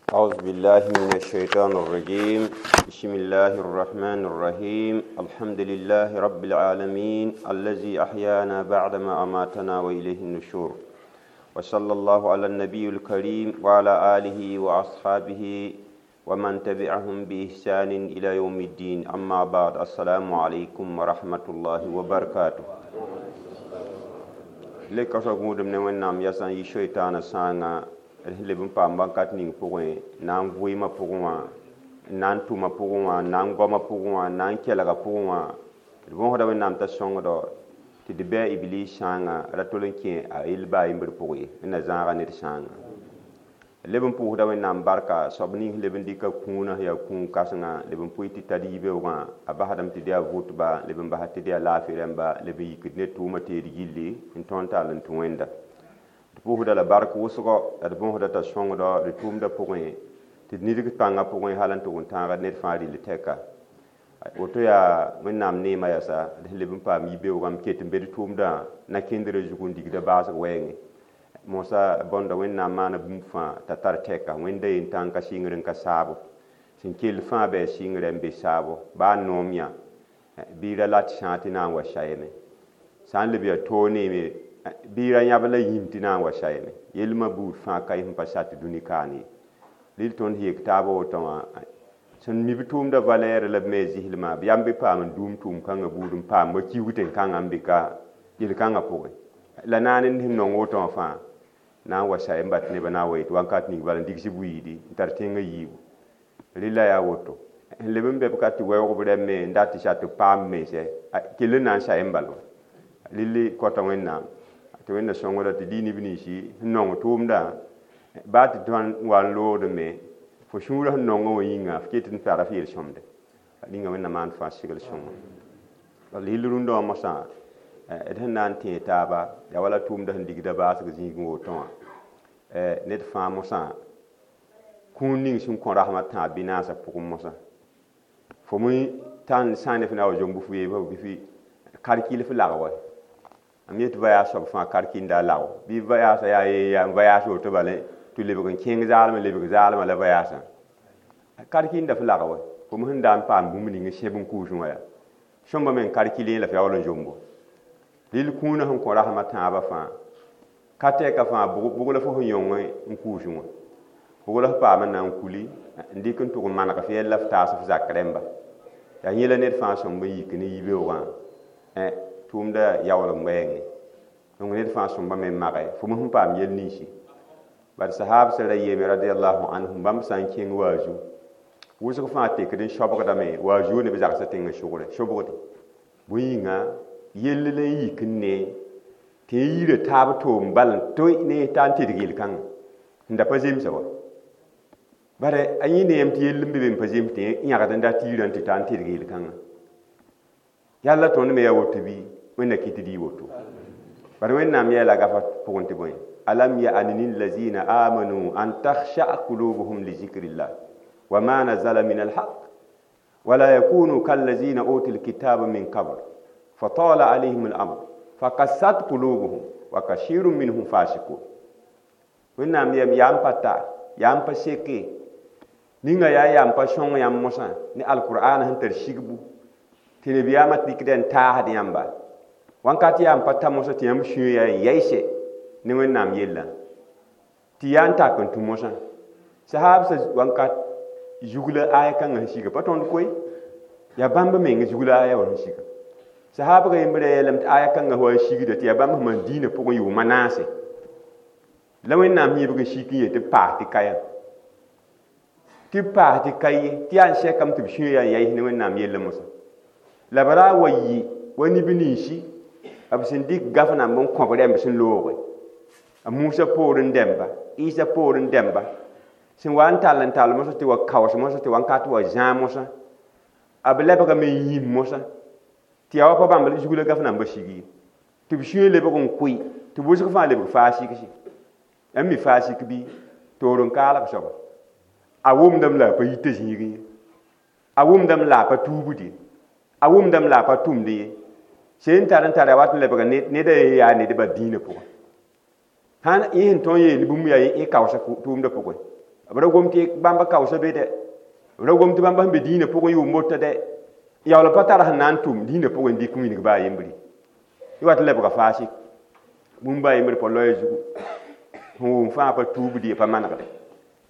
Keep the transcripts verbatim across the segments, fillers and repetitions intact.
أعوذ بالله من الشيطان الرجيم بسم الله الرحمن الرحيم الحمد لله رب العالمين الذي أحيانا بعدما أماتنا وإليه النشور وصلى الله على النبي الكريم وعلى آله وأصحابه ومن تبعهم بإحسان إلى يوم الدين أما بعد السلام عليكم ورحمة الله وبركاته lek ka soab gũudem ne Wẽnnaam yasã n yi soitaanã sãanga d sẽn leb n paam bãn-kat ning pʋgẽ na n vʋɩɩmã pʋgẽ wã n na n tʋmã pʋgẽ wã n na n goamã pʋgẽ wã n na n kelgã pʋgẽ wã d võsda Wẽnnaam t'a sõngdo tɩ d bɩ a iblis sãanga ra tol n kẽ a yell baa yembr pʋgẽ ye n na zãaga ned sãanga leb n pʋʋsda Wẽnnaam barka soab ning sẽn leb n dɩka kũunã sẽn yaa kũun kãsenga leb n pʋɩ tɩ tar yibeoogã a basdame tɩ d yaa vʋtba leb n basa tɩ d yaa laafɩ rãmba leb n yikd ne tʋʋmã teed gilli n tõnd tall n tũ Wẽnda d pʋʋsda la bark wʋsgo la d bõsda t'a sõngdo d tʋʋmdã pʋgẽ tɩ d nidg pãngã pʋgẽ hal n tʋg n tãagd ned fãa rɩl tɛka woto yaa Wẽnnaam neemã yasa d sẽn leb n paam yibeoogã m ket n be d tʋʋmdã na kẽndrã zug n digda baasg wɛɛngẽ moosã bõnda Wẽnnaam maana bũmb fãa t'a tar tɛka Wẽnda yen tãng ka sɩngr n ka saabo sẽn kell fãa bɩ a sɩngrã n be saabo baa noom yã bɩ ra lat sãa tɩ na n wa sayame sã n leb yaa toog neeme bɩ ra yãb la yĩm tɩ na n wa sayame yelmã buud fãa ka sẽn pa sat dũni kaan ye rɩl tõnd yek taabã woto wã sẽn mi b tʋʋmdã valɛɛr la b me zɩslmã b yam be paam n dũum tʋʋm kãngã buud n paam wa kiuug kãngã n be ka yel-kãngã pʋgẽ la naane sẽn nong woto wã fãa na n wa say n bat nebã na n wa yet wãnkat ning bala n digs buiidi n tar tẽngã yiibu rɩla yaa woto sẽn leb n bɛ b ka tɩ wɛoog b rɛm me n dat tɩ sa tɩ paam mense kell n na n say n bal wa rɩl kõta Wẽnnaam tɩ Wẽnna sõngda tɩ dɩ neb ninsi sẽn nong tʋʋmdã baa tɩ tõnd wa n loogd me fo sũurã sẽn nongã wã yĩnga f ket n tara f yel-sõmde ninga Wẽnna maan fãa segl sõngo bala yell rũndã wã mosã d sẽn na n tẽe taaba yaa wala tʋʋmdã sẽn digda baasg zĩigẽ woto wã ned fãa mosã kũun ning sẽn kõ rasmã tãab bɩ naasã pʋgẽ mosã fo me tãn sã ne f na wa zomb f weebã bɩ f karkil f lag wa m yet voyage soab fãa karkinda a lago bɩ voyage yaa yaa n voyage woto bala tɩ lebg n kẽng zaalmã lebg zaalmã la voyage karkinda f lag wa fo me sẽn da n paam bũmb ning n sẽb n kʋʋsẽ wã yaa sõmba me n karkilẽ la f yaool n zombo rɩl kũunã sẽn kõ rasmã tãabã fãa ka tɛka fãa bʋg la fo sẽn yõng n kʋʋsẽ wã bʋg la f paam n na n kuli n dɩk n tʋg n maneg f yɛl la f taas f zak rẽmba yaa yẽ la ned fãa sõmb n yik ne yibeoogã tʋʋmda yaool n wɛɛngẽ donc ned fãa sõmba me n mage fo me sẽn paam yel ninsi bad sahab sẽn ra yeeme radiallahu anhum bãmb sã n kẽng waazu wʋsg fãa tekd n sobgdame waazu ne b zagsã tẽngã sʋgre sobgde bõe yĩnga yell la n yik n ne tɩ n yira taab toom bal n toe ne t'a n tedg yel-kãngã sẽn da pa zemsa wa bare a yẽ neem tɩ yell n be be n pa zems tɩ yãgd n dat yirã tɩ ta n tedg yel-kãngã yalla tõnd me yaa woto bɩ Wẽnna kɩt dɩ woto bare Wẽnnaam yeela gafa pʋgẽ tɩ bõe alam ya'ni lillazina amanu an takhsha'a qulubuhum li zikrillah wa ma nazala min alhaq wala yakunu kallazina utul kitaba min qabl fatala alayhim al-amr faqassat qulubuhum wa kashirun minhum fasiqun Wẽnnaam yam yaa n pa ta yaa n pa seke ninga yaa yaa n pa sõng yãmb mosã ne alqur'ana sẽn tar sigbu tɩ nabiyaamã dɩkda n taasd yãmba wãnkat yaa n pa ta mosã tɩ yãmb sũyã yaa n yaɩse ne Wẽnnaam yellã tɩ yaa n tak n tũ mosã sahaabsã wãnkat zugla aya kãngã sẽn siga pa tõnd koe yaa bãmb meng zugla aya wã sẽn siga sahaabga yembrã yeelame tɩ aya kãngã wa n sigda tɩ yaa bãmb sẽn maan diinã pʋgẽ yʋʋmã naase la Wẽnnaam yẽbg n sik n yet tɩ b paas tɩ ka yã tɩ b paas tɩ ka ye tɩ yaa n sɛkame tɩ b sũyã yaa n yaɩs ne Wẽnnaam yellã mosã la b ra wa yɩ wa neb ninsi b sẽn dɩk gaf namb n kõb rɛmb sẽn looge a Musa poorẽ dẽmba Isa poorẽ dẽmba sẽn wa n tall n tall mosã tɩ wa kaoos mosã tɩ wãnkat wa zãag mosã b lebgame n yĩm mosã tɩ yaa wa pa bãmb zugla gaf nambã sig ye tɩ b sũyã lebg n kʋɩ tɩ wʋsg fãa lebg faa-sikse yãmb mi faa-sik bɩ toor n kaalg soaba a wʋmdame la a pa yita zĩigẽ ye a wʋmdame la a pa tuubd ye a wʋmdame la a pa tʋmd ye sẽn tar n tara wat n lebga ned yaa nedbã dĩinã pʋgẽ sãn yẽ sẽn tõe n yeel bũmb yaa y kaoosa tʋʋmdã pʋgẽ B ra gom tɩ bãmba kaoosa be dɛ b ra gom tɩ bãmba sẽn be dĩinã pʋgẽ yʋʋm mota dɛ yaool pa tar sẽn na n tʋm dĩinã pʋgẽ n dɩk wilg baa yembre yẽ wat n lebga faasɩk bũmb baa yembre pa loɛɛ zugu sẽn wʋm fãa pa tuubd ye pa manegde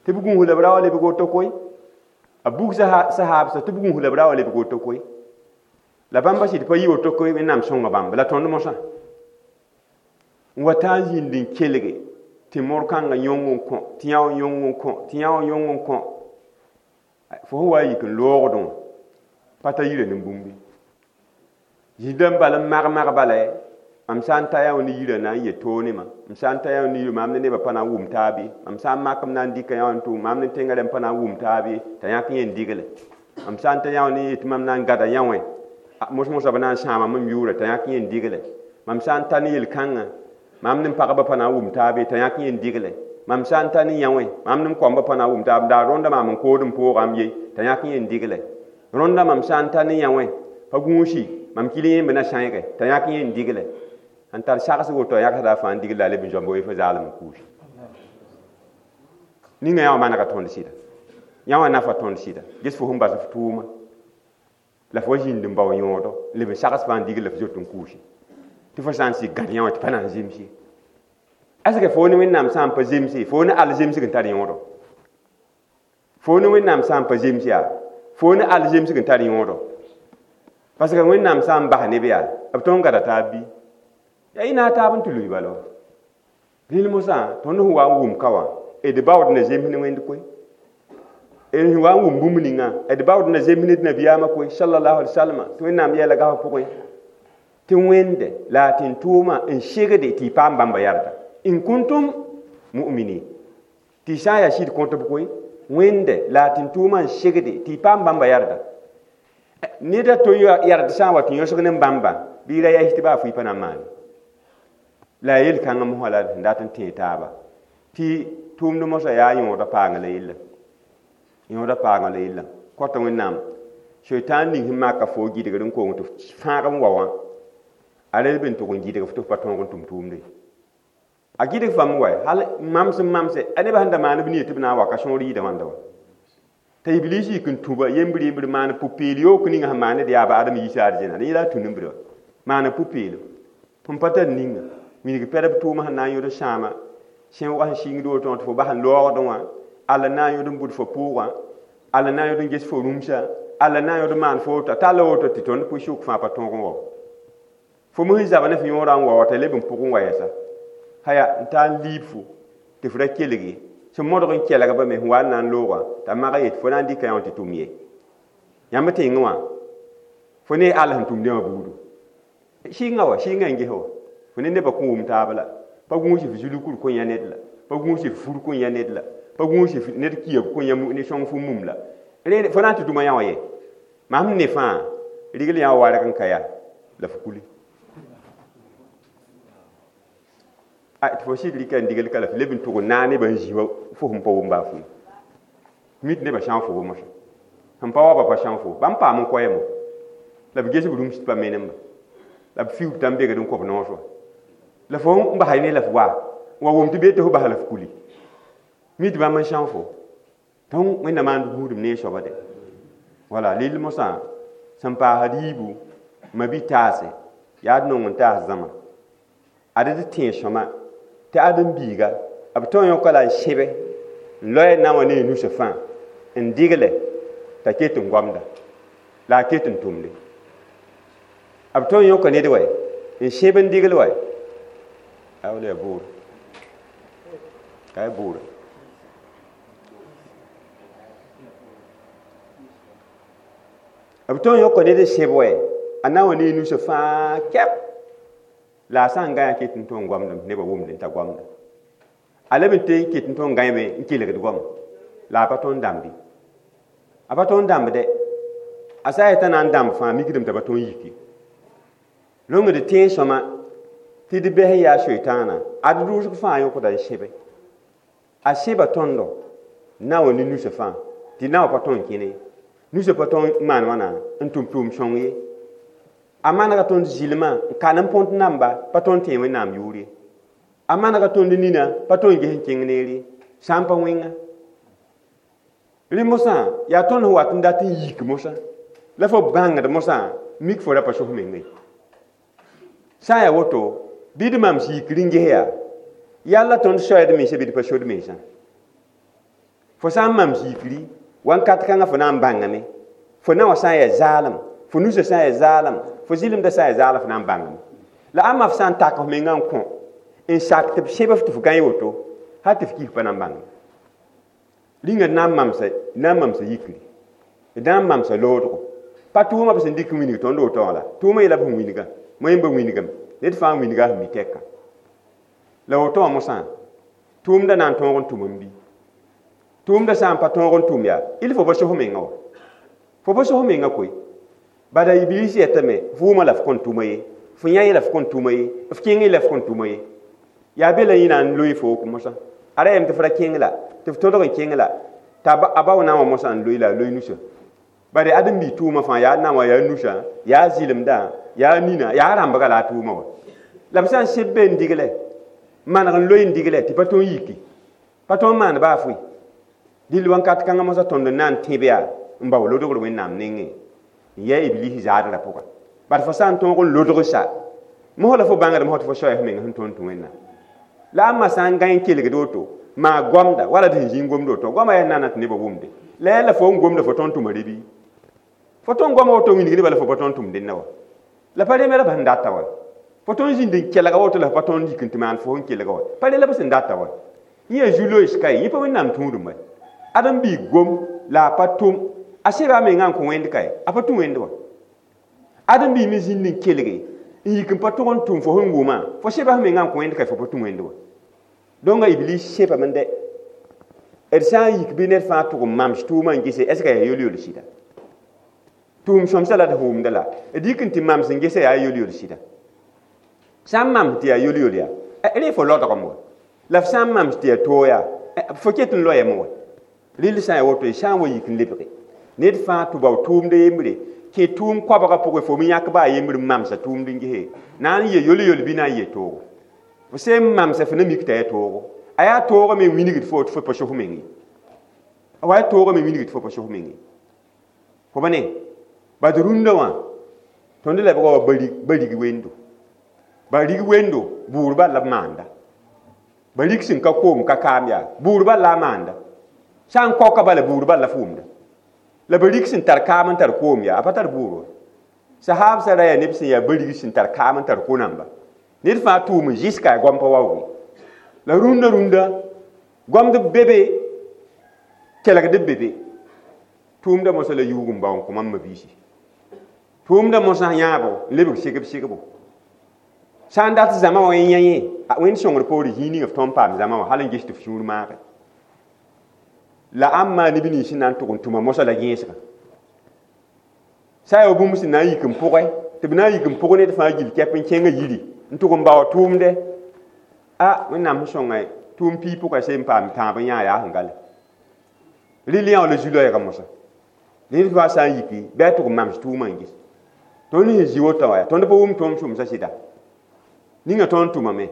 tɩ b gũus la b ra wa lebg woto koe a bug sahaabsa tɩ b gũus la b ra wa lebg woto koe la bãmba sɩd pa yi woto koe Wẽnnaam sõnga bãmba la tõnd mosã n wa taa n zĩnd n kelge tɩ mor-kãngã yõng n kõ tɩ yã wã yõng n kõ tɩ yã wã yõng n kõ fo sẽn wa n yik n loogdẽ wã pa ta yira nin-bũmbi zĩigã n bal n mag-mag bala mam sã n ta yã wã ne yirã na n yet toog ne ma m sã n ta yã wã ne yirã maam ne nebã pa na n wʋm taab ye mam sã n mak m na n dɩka yã wã n tʋm maam ne tẽngã rẽmb pa na n wʋm taab ye t'a yãk yẽ n digle mam sã n ta yã wã ne yet mam na n gada yã wã mos-mosã b na n sãama m yʋʋra t'a yãk yẽ n digle mam sã n ta ne yel-kãngã mam ne pagba pa na n wʋm taab ye t'a yãk yẽ n digle mam sã n ta ne yã wã mam ne koamba pa na n wʋm taab daa rõnda maam n kood n poogame ye t'a yãk yẽ n digle rõnda mam sã n ta ne yã wã pa gũusi mam kil yẽmb na sãeege t'a yãk yẽ n digle n tar sags woto a yãksda fãa n digl la a leb n zoamb wee fo zaalem n kuusi ninga yã wã manega tõnd sɩda yã wã nafa tõnd sɩda ges fo sẽn bas f tʋʋma la fo zĩnd n bao yõodo n leb n sags fãa n digl la f zoet n kuusi tɩ fo sã n sik gãd yã wã tɩ pa na n zems ye est-ce que fo ne Wẽnnaam sã n pa zemse fo ne al zemsg n tar yõodo fo ne Wẽnnaam sã n pa zems yaa fo ne al zemsg n tar yõodo parce que Wẽnnaam sã n bas neb yaa b tõnd gada taab bɩ yaa y na taab n tɩ lʋɩ bala rĩl mosã tõnd sẽn wa n wʋm ka wã d baood na zems ne Wẽnd koe d sẽn wa n wʋm bũmb ninga d baood na zems ne d nabiyaamã koe sallallahu alaihi wasallam tɩ Wẽnnaam yɛla gasb pʋgẽ tɩ Wẽnde la a tɩ-tʋʋmã n segde tɩ y paam bãmba yarda in kuntum mu'minin tɩ y sã n yaa sɩd kõtb koe Wẽnde la a tɩ-tʋʋmã n segde tɩ y paam bãmba yarda ned a to yard sã n wa tɩ yõsg ne bãmba bɩ y ra yɛs tɩ baa fʋɩ pa na n maane la a yel-kãngã mosã la sẽn dat n tẽe taaba tɩ tʋʋmd mosã yaa yõoda paagã la yella yõoda paagã la yella kõta Wẽnnaam soitaan ning sẽn maka fo gɩdgr n kong tɩ fãag n wa wã a ra leb n tʋg n gɩdg f tɩ f pa tõog n tʋm tʋʋmde a gɩdg fãmb wa hal mamsem mamse a nebã sẽn da maan b nia tɩ b na n wa ka sõor yɩɩda wãnda wa t'a iblis yik n tũba yembr yembr maan pʋ-peel yook ninga sẽn maan ned yaaba Adama yiisa arzẽna dẽ yẽla a tũ-nembrã wa maan pʋ-peelo sẽn pa tar ninga wilg pɛdb tʋʋma sẽn na n yõd sãama sẽwga sẽn sɩngd woto tɩ fo bas n loogdẽ wã alla na n yõd n bʋd fo pʋʋgã alla na n yõd n ges fo rũmsã alla na n yõd n maan fo woto talla woto tɩ tõnd pʋ-sʋk fãa pa tõog n wa fo me sẽn zab ne f yõorã n wa wa t'a leb n pʋgẽ wa yɛsa haya n taa n liib fo tɩ f ra kelg ye sẽn modg n kelgba me sẽn wa n na n loogã t'a mag yet fo na n dɩka yã wã tɩ tʋm ye yãmb tẽngẽ wã fo ne all sẽn tʋmdẽ wã buudu sɩnga wa sɩnga n ges wa fo ne nebã kõ wʋm taab la pa gũus f zulkur kõ yã ned la pa gũus f fur kõ yã ned la pa gũus f ned kiab kõ yã ne sõng fu mum la fo na n tɩ tʋma yã wã ye mam ne fãa rigl yã wã warg n ka yaa la f kuli tɩ fo sɩd rɩka n digl ka la f leb n tʋg n naag nebã n zĩ wa fo sẽn pa wʋm baa fʋɩ mi tɩ nebã sãog fo mosã sẽn pa wa ba pa sãog fo bãmb paam n koɛɛmo la b ges b rũms tɩ pa menemba la b fiuub tã n begd n kõ b noos wa la fo n basa ne la f wa wa wʋm tɩ bee tɩ fo basa la f kuli mi tɩ bãmb n sãog fo tõng Wẽnnaam maan gũudum ne soaba de wala lill mosã sẽn paasd yiibu ma bi taase yaa d nong n taas zãma ad d tẽeg sõma tɩ ãdem-biiga b tõe n yõka la n sẽbe n loe na wã ne a nusã fãa n digle t'a ket n goamda la a ket n tʋmde b tõe n yõka ned wa n sẽb n digl wa a wala yaa boore ka yaa boore b tõe n yõka ned n sẽb wa a na wã ne a nusã fãa kɛp la a sã n gã ket n tõe n goamdame nebã wʋmd n t'a goamda a leb n tee n ket n tõe n gãeme n kelgd goama la a pa tõe n dãmbe a pa tõe n dãmbde a sã n yetã na n dãmb fãa mikdame t'a pa tõe n yiki rõngd tẽeg sõma tɩ d bɛs n yaa soitaanã ad rʋʋsg fãa yõkda n sẽbe a sẽba tõndo na wã ne nusã fãa tɩ na wã pa tõe n kẽne nusã pa tõe n maan wãna n tʋm tʋʋm sõng ye a manega tõnd zɩlmã n kan n põnt namba pa tõe n tẽe Wẽnnaam yʋʋr ye a manega tõnd nina pa tõe n ges n kẽng neer ye sã n pa wẽnga Rẽ mosã yaa tõnd sẽn wat n dat n yik mosã la fo bãngd mosã mik fo ra pa sos meng ye. Sã n yaa woto bɩ d mams yikr n ges yaa yalla tõnd soɛɛd mensã bɩ d pa sod mensã. Fo sã n mams yikri wãnkat kãngã fo na n bãngame fo na wã sã n yaa zaalem fo nusã sã n yaa zaalem fo zɩlemdã sã n yaa zaalem fo na n bãngame la ãmba f sã n tak f mengã n kõ n sak tɩ b sẽb f tɩ f gãe woto hal tɩ f kis pa na n bãngame. Rĩnga d na n mamsa na n mamsa yikri d na n mamsa loodgo pa tʋʋmã b sẽn dɩk n wilg tõnd woto wã la tʋʋmã yeela b sẽn wilgã moẽmba wilgame ned fãa n wilga sẽn mi tɛka la woto wã mosã tʋʋmdã na n tõog n tʋm n bɩ tʋʋmdã sã n pa tõog n tʋm yaa il fo pa sos mengã wa fo pa sos mengã koe bala iblis yetame f wʋma la f kõn tʋma ye f yã la f kõn tʋma ye f kẽng la f kõn tʋma ye yaa be la yẽ na n loe fo mosã a ra yem tɩ f ra kẽng la tɩ f todg n kẽng la t'a a ba na wã mosã n loe la a loe nusã bare ãdem-biig tʋʋmã fãa yaa na wã yaa nusã yaa zɩlemdã yaa nina yaa rãmbga la a tʋʋmã wa la b sã n sẽb be n diglɛ maneg n loe n diglɛ tɩ pa tõe n yiki pa tõe n maan baa fʋɩ dɩl wãnkat kãngã mosã tõnd n na n tẽb yaa n bao lodgr wẽnnaam nengẽ n yɛ iblis zaadrã pʋga bad fo sã n tõog n lodg sa mos la fo bãngd mos tɩ fo soaya f meng sẽn tõnd tũ wẽnnaam la ãmba sã n gãe n kelgd woto maa goamda wala d sẽn zĩig gomd woto goamã yaa nana tɩ nebã wʋmde la yaa la fo n gomda fo tõnd tʋma re bɩ fo tõnd goama woto wilg nebã la fo pa tõnd tʋm dẽnna wa la pa reme la b sẽn data wa fo tõnd zĩnd n kelga woto la fo pa tõnd yik n tɩ maan fo sẽn kelga wa pa re la b sẽn data wa yẽ yaa zu-loees ka ye yẽ pa wẽnnaam tũudum wa ãdem-biig gom la a pa tʋm a seba a mengã n kõ wẽnd ka ye a pa tũ wẽnd wa ãdem-biig me zĩnd n kelge n yik n pa tʋg n tʋm fo sẽn wʋmã fo seba f mengã n kõ wẽnd ka fo pa tũ wẽnd wa donc iblis sẽbame dɛ d sã n yik bɩ ned fãa tʋg n mams tʋʋmã n gese est ce que yaa yol-yol sɩda tʋʋm sõmsã la d wʋmda la d yik n tɩ mams n gese yaa yol-yol sɩda sã n mams tɩ yaa yol-yol yaa rẽ fo lodgem wa la f sã n mams tɩ yaa toog yaa fo ket n loyame wa rɩl sã n yaa woto y sã n wa yik n lebge ned fãa tɩ bao tʋʋmd yembre kẽ tʋʋm koabgã pʋgẽ fo me yãk baa yembr n mamsa tʋʋmd n gese na n ye yol-yol bɩ na n ye toogo fo sẽn mamsa fo na mik t'a yaa toogo a yaa toogã me wilgd fo tɩ fo pa sos meng ye a wa yaa toogã me wilgd fo pa sos meng ye fo ba ne bad rũndã wã tõnd lebga wa ba rig wendo ba rig wendo buur bal la b maanda ba rig sẽn ka koom ka kaam yaa buur bal la a maanda sã n kaoka bala buur bal la f wʋmda la ba rig sẽn tar kaam n tar koom yaa a pa tar buur wa sahaabsã ra yaa neb sẽn yaa ba rig sẽn tar kaam n tar ko-namba ned fãa tʋʋm n zɩs-ka ya goam pa waoog la rũndã rũndã goamd be be kelgd b be be tʋʋmdã mosã la yuug n bao n kõ mam mabiisi tʋʋmdã mosã yãabo n lebg segb segbo sã n dat zãma wã yã yẽ wẽnd sõngr poore zĩig ninga f tõnd paam zãma wã hal n ges tɩ f sũur maage la ãmb maa neb nins sẽn na n tʋg n tʋma mosã la gẽesga sã n yaa bũmb sẽn na n yik n pʋgẽ tɩ b na n yik n pʋg ned fãa gill kɛp n kẽngã yiri n tʋg n bao tʋʋmdɛ a wẽnnaam sẽn sõnga tʋʋm pii pʋgã sẽn paam tãab n yã yaa sẽn gale rɩl yã la zu-loɛɛgã mosã ned fãa sã n yiki bɩ a tʋg n mams tʋʋmã n ges tõnd sẽn zĩ wotã wa tõnd pa wʋm tõom sʋmsã sɩda ninga tõnd tʋmame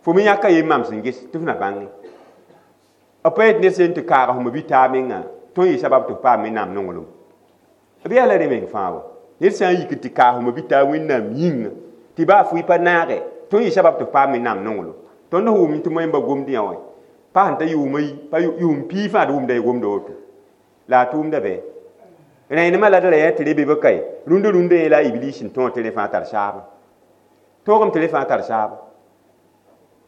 fo me yãka ye mams n ges tɩ f na bãnge b pa yet ned sẽn tɩ kaag f bi taab menga tõnd yɩ sabab tɩ f paam wẽnnaam nonglem b yaa la rẽ meng fãa wa ned sã n yik n tɩ kaag f bi taab wẽnnaam yĩnga tɩ baa fʋɩ pa naage tõnd yɩ sabab tɩ f paam wẽnnaam nonglem tõnd sẽn wʋm tɩ moẽmba gomd yã wã pa sẽn ta yʋʋma pa yʋʋm pii fãa d wʋmda y gomda woto la a tʋʋmda bɩ rẽenemã la d ra yã tɩ re be be kae rũndã rũndã yẽ la a iblis n tõog tɩ rẽ fãa tar saaba toogame tɩ rẽ fãa tar saaba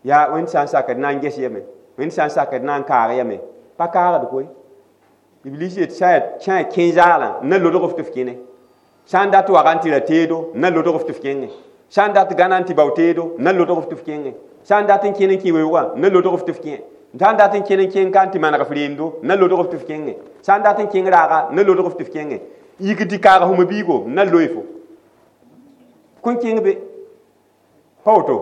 yaa wẽnd sã n sakd na n ges yame wẽnd sã n sakd na n kaag yame pa kaagd koe iblis yet sã yaa kẽ zaalã n na lodg f tɩ f kẽne sã n dat waga n tɩ ra teedo n na lodg f tɩ f kẽngẽ sã n dat gãna n tɩ bao teedo n na lodg f tɩ f kẽngẽ sã n dat n kẽn n kẽ weoogã n na lodg f tɩ f kẽ sã n dat n kẽn n kẽng ka n tɩ maneg f reemdo n na lodg f tɩ f kẽngẽ sã n dat n kẽng raaga n na lodg f tɩ f kẽngẽ yik tɩ kaag f biigo n na loe fo kõn kẽng be pa woto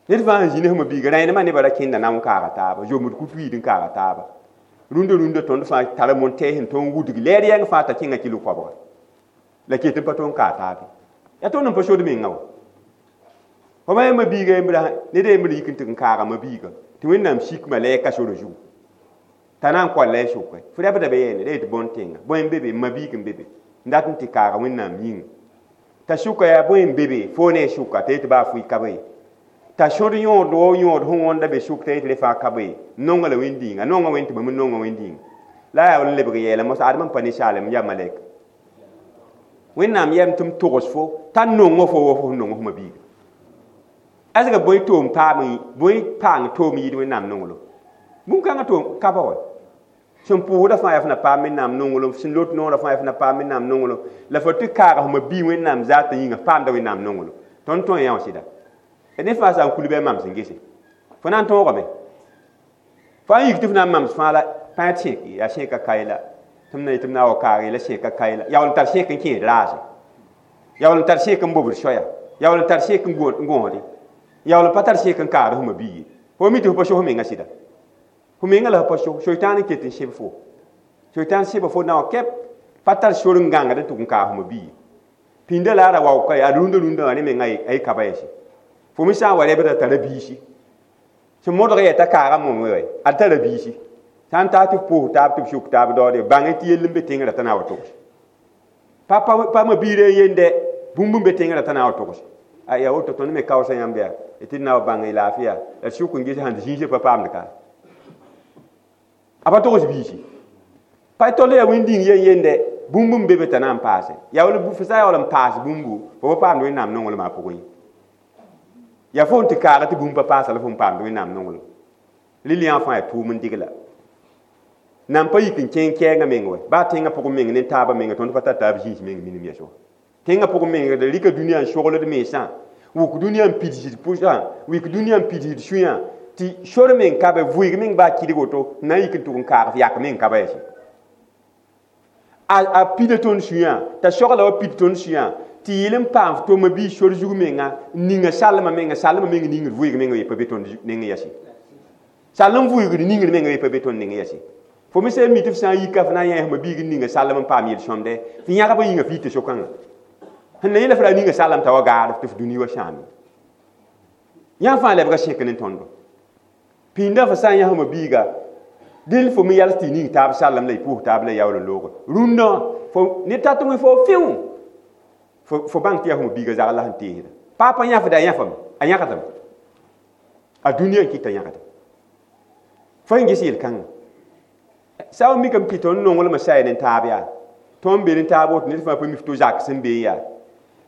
ned fãa sẽn zĩ ne f biiga rẽenemã nebã ra kẽnda na n kaaga taaba zomd kut-wiid n kaaga taaba rũndã rũndã tõnd fãa tara montɛɛs n tõnd wudg lɛɛr yɛng fãa t'a kẽnga kilo koabga la ket n pa tõnd kaa taabe yaa tõnd n pa sod menga wa fo ma yãmba biiga yembra ned yembr yik n tɩg n kaaga ma biiga tɩ wẽnnaam sikma la ka sora zugu T'a na n koal la y sʋke fo rɛbda be yɛɛne ra yetɩ bõn-tẽnga bõe n be be ma-biig n be be n dat n tɩ kaaga Wẽnnaam yĩnga t'a sʋka yaa bõe n be be foo ne y sʋka t'a yetɩ baa fʋɩ ka be t'a sõd yõod wo yõod sẽn wõnda be sʋk t'a yetɩ re fãa ka be nonga la wẽnd-dĩinga nonga wẽnd tɩ bãmb n nonga wẽnd-dĩinga la a yaa n lebg yɛɛla mos adem n pa ninsaalem n yaa malɛk Wẽnnaam yɛm tɩ m togs fo t'a nongo fo wa fo sẽn nong f ma-biiga asga bõe toom paam bõe paang toom yɩɩd Wẽnnaam nonglem bũn-kãngã toom ka ba wa sẽn pʋʋsda fãa yaa f na paam Wẽnnaam nonglem sẽn lot noorã fãa yaa f na paam Wẽnnaam nonglem la fo tɩ kaaga f ma-bii Wẽnnaam zaatã yĩnga f paamda Wẽnnaam nonglem tõnd tõe yã wã sɩda ned fãa sã n kul bɩ a mams n gese fo na n tõogame fo a yik tɩ f na n mams fãa la pãa sẽk yaa sẽka kae la tɩ m na yetɩ m na n wa kaag la sẽka kae la yaool n tar sẽk n kẽed raase yaool n tar sẽk n bobd soaya yaool n tar sẽk n gõosde yaool n pa tar sẽk n kaagd f ma-bii ye fo mi tɩ f pa so f menga sɩda fo menga la f pa so soitaan n ket n sẽb fo soitaan sẽba fo na wã kɛp pa tar sor n gãngd n tʋg n kaag f ma-bii ye pĩnda la a ra waoka a rũndã rũndã wã ne menga a y kaba yɛse fo me sã n wa rɛbda tara biisi sẽn modg yɛ t'a kaaga mom wɛ ad tara biisi sã n taa tɩ f pʋʋs taab tɩ b sʋk taab daoode bãng tɩ yell n be tẽngrã t'a na n wa togs pa pa ma-biirã n yende bũmb n be tẽngrã t'a na n wa togs a yaa woto tõnd me kaoosa yãmb yaa tɩ d na wa bãng y laafɩya la d sʋk n ges sãn zĩisã pa paamd ka a pa togs biisi pa tol yaa wẽnd-dĩng yen yende bũmb n be be t'a na n paase yaa wala fo sã n yaool n paas bũmbu fo pa paamd Wẽnnaam nonglmã pʋgẽ ye yaa fo n tɩ kaaga tɩ bũmb pa paasa la fo n paamd Wẽnnaam nonglem rɩl yã fãa yaa tʋʋm n dɩgla nan pa yik n kẽng kɛɛngã meng wɛ baa tẽngã pʋgẽ meng ne taabã menga tõnd pa tar taab zĩis meng minim yɛs wã tẽngã pʋgẽ meng d rɩka dũniyã n sogld mensã wʋk dũniyã n pidsd pʋsã wik dũniyã n pidsd sũyã tɩ sor meng ka be vʋɩg meng baa kɩdg woto n na n yik n tʋg n kaag f yak meng ka ba yɛsẽ a pida tõnd sũyã t'a sogla wa pid tõnd sũyã tɩ yɩl n paam f toma bii sor zug menga n ninga salmã menga salmã meng ningd vʋɩg menga ye pa be tõnd neng yɛsẽ salem vʋɩgd ningd menga ye pa be tõnd neng yɛsẽ fo me sã n mi tɩ f sã n yika f na n yã f ma-biig n ninga salem n paam yel-sõmde f yãgba yĩnga f yita so-kãngã sẽn na yẽla f ra ninga salem t'a wa gaad tɩ f dũni wa sãame yã fãa lebga sẽk ne tõndo pĩndã fo sã n yã f ma-biiga dẽl fo me yals tɩ y ning taab salem la y pʋʋs taab la y yaool n looge rũndã fo ne tat wẽ fo fĩu fo bãng tɩ yaa f ma-biiga zagl la sẽn teesda pa pa yãfda a yãfame a yãgdame a dũniyã n kɩta yãgda fo n ges yel-kãngã sã n mikame tɩ tõnd nonglmã saya ne taab yaa tõnd be ne taab woto ned fãa pa mi f to zak sẽn be yaa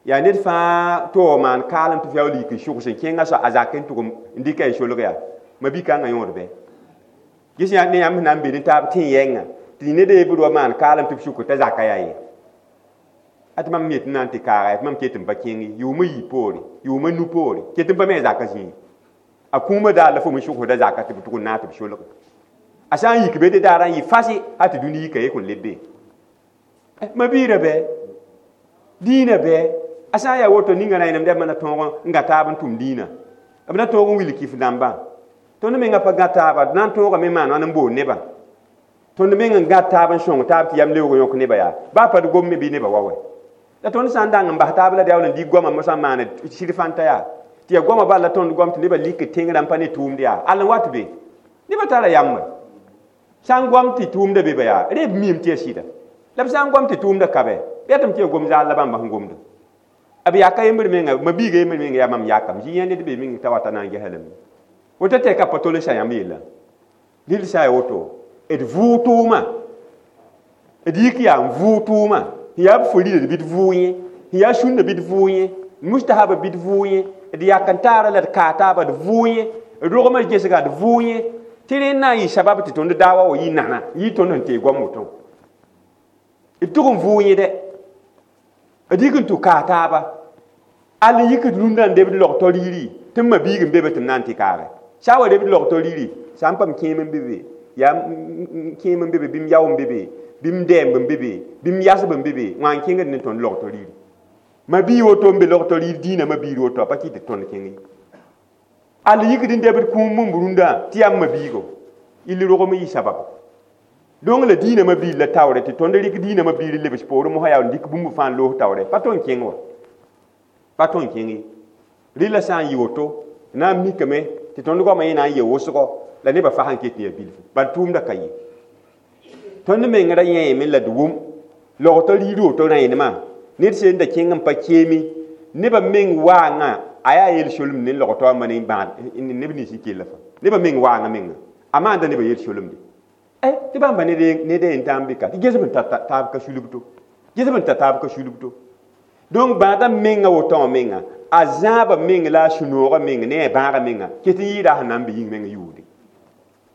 yaa ned fãa tɩ wa maan kaalem tɩ f yaool yik n sʋgs n kẽngã soa a zak n tʋg n dɩka y solg yaa ma-bi-kãngã yõod bɩ ges ne yãmb sẽn na n be ne taab tẽ yɛngã tɩ ned a yembr wa maan kaalem tɩ b sʋk t'a zaka yaa ye a tɩ mam yet n na n tɩ kaaga tɩ mam ket n pa kẽng yʋʋmã yii poore yʋʋmã nu poore ket n pa me a zaka zĩig a kũumã daar la fo me sʋgsda zaka tɩ b tʋg n naag tɩ b solge a sã n yik be tɩ daarã n yɩ fasɩ a tɩ dũni yika ye kõn leb be ma-biirã bɛ dĩinã bɛ a sã n yaa woto ninga rẽenem dɛb na tõog n gã taab n tʋm dĩinã b na tõog n wil kif dãmbã tõnd menga pa gã taaba d na n tõogame n maan wãn n bool nebã tõnd meng n gã taab n sõng taab tɩ yam leoog yõk nebã yaa baa pa d gom me bɩ nebã wa wɛ la tõnd sã n dang n bas taab la d yaool n dɩk goamã mosã n maan sɩd fãnta yaa tɩ yaa goamã bal la tõnd goam tɩ nebã lik tẽngrã n pa ne tʋʋmd yaa all n wat be nebã tara yam wɛ sã n goam tɩ tʋʋmda be ba yaa reb miime tɩ yaa sɩda la b sã n goam tɩ tʋʋmda ka bɛ bɩ yaa tɩ m tɩ yaa gom zaal la bãmba sẽn gomda b yaka yembr menga ma-biiga yembr menga yaa mam yakam zĩ yã ned be meng t'a wata na n gesa lame woto tɛka pa tol n sa yãmb yella rɩl sã n yaa woto d vʋʋg tʋʋma d yik yaa n vʋʋg tʋʋma sẽn yaa b fo rɩla bɩ d vʋʋg yẽ sẽn yaa sũnna bɩ d vʋʋg yẽ mustahaba bɩ d vʋʋg yẽ d yak n taara la d kaa taaba d vʋʋg yẽ d rogmã gesga d vʋʋg yẽ tɩ rẽ na n yɩ sabab tɩ tõnd daawa wa yɩ nana yɩ tõnd sẽn tee goam woto d tʋg n vʋʋg yẽ dɛ d yik n tʋ kaa taaba all n yik d rũndã n debd log to-riiri tɩ m ma-biig n be be tɩ m na n tɩ kaage sã n wa debd log to-riiri sã n pam kẽem n be be yaa kẽem n be be bɩ m yao n be be bɩ m dɛɛmb n be be bɩ m yasb n be be wã n kẽngd ne tõnd log to-riiri ma-bii woto n be log to-riir dĩinã ma-biir woto a pa kɩt tɩ tõnd kẽng ye all yikd n debd kũum n rũndã tɩ yaa m ma-biigo ill rogem n yɩ sabab donc la dĩinã ma-biir la taoore tɩ tõnd rɩk dĩinã ma-biir n lebs poorẽ mosã yaa n dɩk bũmb fãa n loos taoore pa tõnd kẽng wa pa tõnd kẽng ye rɩla sã n yɩ woto na n mikame tɩ tõnd goamã yẽ na n yee wʋsgo la nebã fa sẽn ket n yaa bilfu bal tʋʋmda ka ye Tõnd meng ra yẽeme la d wʋm logtã riir woto rẽenemã ned sẽn da kẽng n pa keeme nebã meng waangã a yaa yel-solem ne logtã wãmba ne bãad neb nins n kella fãa nebã meng waangã menga a maanda nebã yel-solemde tɩ bãmba ned a yen tãa n be ka tɩ ges b n tar taab ka sulbto ges b n tar taab ka sulbto donc bãadã menga woto wã menga a zãabã meng la a sũ-noogã meng ne a bãagã menga ket n yɩɩda a sẽn na n be yĩng meng yʋʋde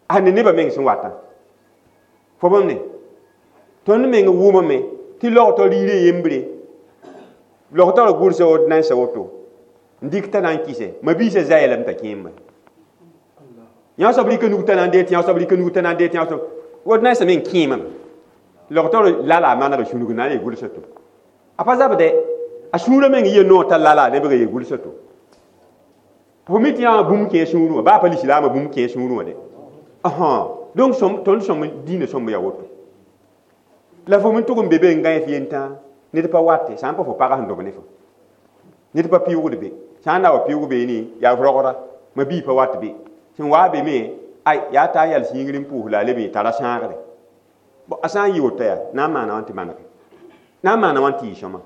a ne nebã meng sẽn watã fo bãmb ne tõnd meng wʋmame tɩ logtã riirã yembre logtã ra gʋlsa woto nansã woto n dɩk t'a na n kɩse ma-biisã zaya lame t'a kẽemã yã soab rɩka nug t'a na n dee tɩ yã soab rɩka nug t'a na n dee tɩ yã soab wot nansã meng kẽemame logtã lala a maneg sũnug na n yee gʋlsa to a pa zabdɛ a sũurã meng yɩa noor t'a lala lebg yee gʋlsa to fo mi tɩ yã wã bũmb kẽ sũurẽ wã baa pa lislaamã bũmb kẽ sũurẽ wã de donc tõnd sõmb diinã sõmb yaa woto la fo me tʋg n be be n gãe f yentã ned pa wate sã n pa fo pagã sẽn dob ne fo ned pa pɩʋgd be sã n na wa pɩʋg beene yaa rogda ma bii pa wat be sẽn waa be me ay yaa taa yals yĩngr n pʋʋs la a leb n tara sãagre a sã n yɩ woto yaa na n maana wãn tɩ manege na n maana wãn tɩ yɩ sõma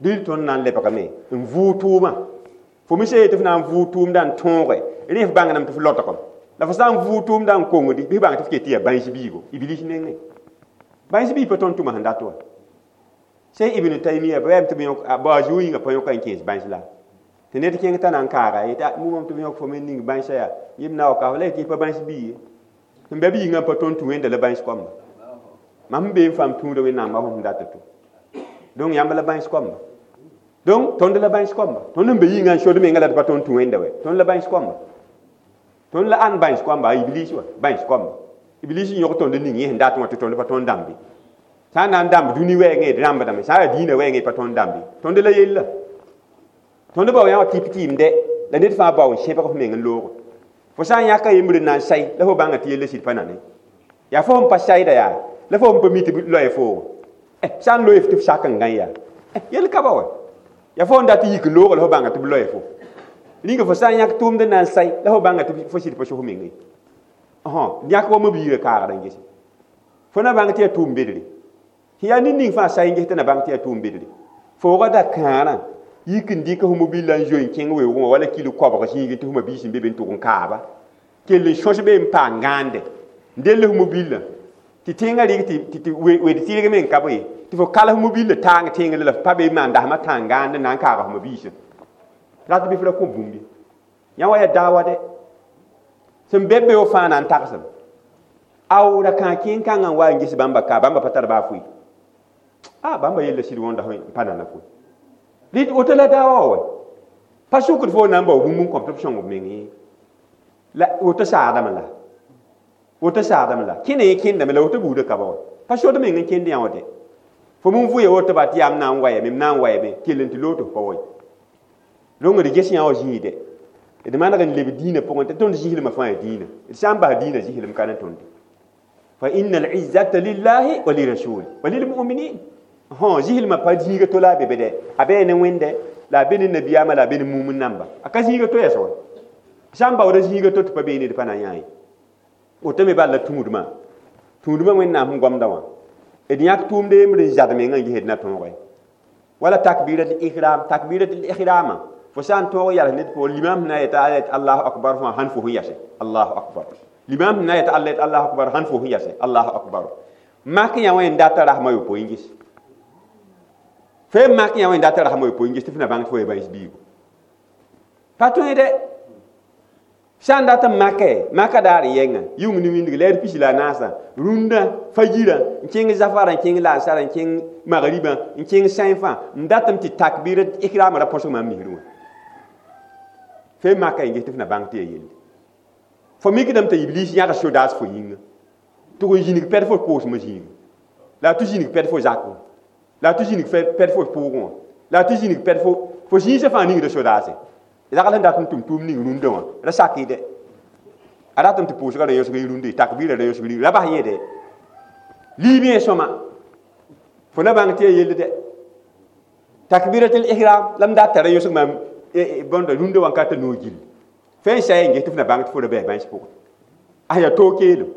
dɩl tõnd na n lebgame n vʋʋg tʋʋmã fo me sã yetɩ f na n vʋʋg tʋʋmdã n tõoge rẽ f bãngdame tɩ f lotgem la fo sã n vʋʋg tʋʋmdã n kongdi bɩ f bãng tɩ f ket tɩ yaa bãens biigo iblis nengẽ bãens biig pa tõnd tʋma sẽn dat wa sẽn Ibn Taymiya ba tɩ b yõk ba a zu yĩngã pa yõka n kẽes bãens la tɩ ned kẽng t'a na n kaaga yetɩ mumam tɩ b yõk fo me ning bãensã yaa yem na wa ka la yetɩ pa bãens bii ye sẽn bɩ b yĩngã pa tõnd tũ wẽnda la bãens koamba mam sẽn bee n fãam tũuda wẽnnaam a sẽn dat to donc yãmb la bãens koamba donc tõnd la bãens koamba tõnd n be yĩngã n sod menga la d pa tõnd tũ wẽnda wɛ tõnd la bãens koamba tõnd la ãnd bãens koamba a iblis wa bãens koamba iblis n yõg tõnd ning yẽ sẽn dat wã tɩ tõnd pa tõnd dãmbe sã n na n dãmb dũni wɛɛngẽ d rãmbdame sã n yaa dĩinã wɛɛngẽ pa tõnd dãmbe tõnd la yella tõnd bao yã wã tɩp tɩɩmdɛ la ned fãa bao n sẽbg f meng n loogo fo sã n yãka yembr n na n say la fo bãnga tɩ yella sɩd pa nane yaa fo sẽn pa sayda yaa la fo sẽn pa mi tɩ loe foogo sã n loe f tɩ f sak n gã yaa yel ka ba wa yaa fo sẽn dat n yik n loogo la fo bãnga tɩ b loe fo rĩnga fo sã n yãk tʋʋmd n na n say la fo bãnga tɩ fo sɩd pa sos meng ye yãk wa mabiirã kaagd n gese fo na bãng tɩ yaa tʋʋm bedre yaa ned ning fãa say n ges tɩ na bãng tɩ yaa tʋʋm bedre foogã da kãarã yik n dɩk f mobila n zoe n kẽng weoogẽ wã wala kilo koabg zĩigẽ tɩ f mabiis n be be n tʋg n kaaba kell n sõs be n paam gãande n dell f mobilã tɩ tẽngã rɩk tɩ wed tɩrg me n ka be tɩ fo kal f mobilã taang tẽngr la f pa be n maan dasmã tãng gãand n na n kaaga f mabiisã rat bɩ f ra kõ bũmb ye yã wa yaa daawa dɛ sẽn be be fãa na n tagsem ao ra kãa kẽen-kãngã n wa n ges bãmba ka bãmba pa tar baa foe a bãmba yella sɩd wõnda n pa nana foe rɩt woto la daawa wa pa sʋkd fo na n bao bũmb n kõm tɩ b sõng b meng ye la woto saadame la woto saadame la kẽne yẽ kẽndame la woto buudã ka ba wa pa sod meng n kẽnd yã wã dɛ fo min vʋya woto ba tɩ yaa m na n wayame m na n wayame kell n tɩ loog tɩ f pa wa rõng d ges yã wã zĩigdɛ d maneg n leb dĩinã pʋgẽ tɩ tõnd zĩslmã fãa yaa dĩinã d sã n bas dĩinã zĩslem ka ne tõnde fa inna al-izzata lillahi wa lirasuli wa lilmuminin hõ zĩslmã pa zĩiga to la a be be dɛ a bee ne wẽnde la a be ne nabiyaamã la a be ne mumn namba a ka zĩiga to yɛs wa sã n baooda zĩiga to tɩ pa beene d pa na yã ye woto me bal la tũudmã tũudmã wẽnnaam sẽn goamda wã d yãk tʋʋmd yembr n zad mengã n ges d na tõoge wala takbirat ihram takbirat ihrama fo sã n tõog yals ned pʋgẽ limam sẽn na yeta a yet allahu akbar fãa sãn fo sẽn yase allahu akbar limam sẽn na yeta alla yet allahu akbar sãn fo sẽn yase allahu akbar mak yã wã n data rasmã yopoe n ges fo mak yã wã n data rasmã yopoe n ges tɩ f na bãng tɩ fo ya bãens biigo pa tõe dɛ sã n dat n make maka daar n yɛnga yʋng ne wĩndg lɛɛr pis la a naasã rũndã fajirã n kẽng zafara n kẽng laasara n kẽng magribã n kẽng sãen fãa n datame tɩ takbir ihrama ra põsg maam misrẽ wã fe maka n ges tɩ f na bãng tɩ yaa yelle fo mikdame t'a iblis yãg sodaas fo yĩnga tɩ n zĩnig pɛd fo koosmã zĩiga la a tɩ zĩnig pɛd fo zakẽ la a tɩ zĩnig pɛd fo pʋʋgẽ wã la a tɩ zĩnig pɛd fo fo zĩisã fãa ningda sodaase ragl sẽn dat n tʋm tʋʋm ning rũndã wã ra sak dɛ a ratame tɩ pʋʋsgã ra yõsg rũndã takbɩrã ra yõsg ra bas yẽ dɛ liib yẽ sõma fo na bãng tɩ yaa yell dɛ takbiratul ihram la m dat t'a ra yõsg maam bõnda rũndã wã n ka t'a noog gill fẽn n sa n ges tɩ f na bãng tɩ fo ra bɩ bãens pʋgẽ a yaa toog keelem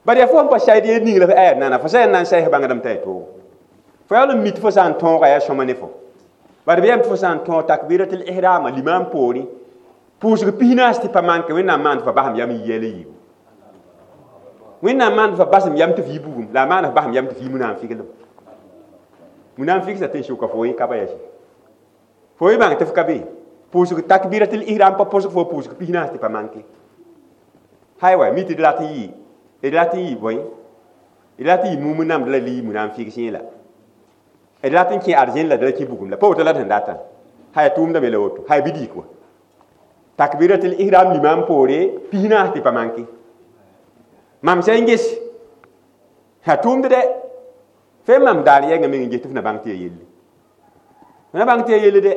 Bari ya fo n pa sayd yel ning la f nana fo sã yaa n na n say f bãngdame t'a y toogo fo yaool n mi tɩ fo sã n tõoga yaa sõma ne fo bari b yam tɩ fo sã n tõog takbiratul ihrama limam poorẽ pʋʋsg pis-naas tɩ pa manke Wẽnnaam maan tɩ fa basem yam n yi yɛl n yiibu Wẽnnaam maan tɩ fa basem yam tɩ f yi bugum la a maan f basem yam tɩ f yi munafɩglem munafɩgsa tɩ n sʋka fo yẽ ka ba yɛsɩ fo y bãng tɩ f ka be pʋʋsg takbiratul ihram pa pʋsg fo pʋʋsg pis-naas tɩ pa manke hay wa mi tɩ d rat n yɩ d rat n yɩ bõe d rat n yɩ mum namd la li munafɩg yẽ la d rat n kẽ arzẽn la d ra kẽ bugum la pa woto la d sẽn datã hay tʋʋmdame la woto hay bɩ dɩk wa takbiratul ihram limam poore pis-naas tɩ pa manke mam sã n ges a tʋʋmd dɛ fe mam daar yɛngã meng n ges tɩ f na bãng tɩ ya yelle f na bãng tɩ ya yelle dɛ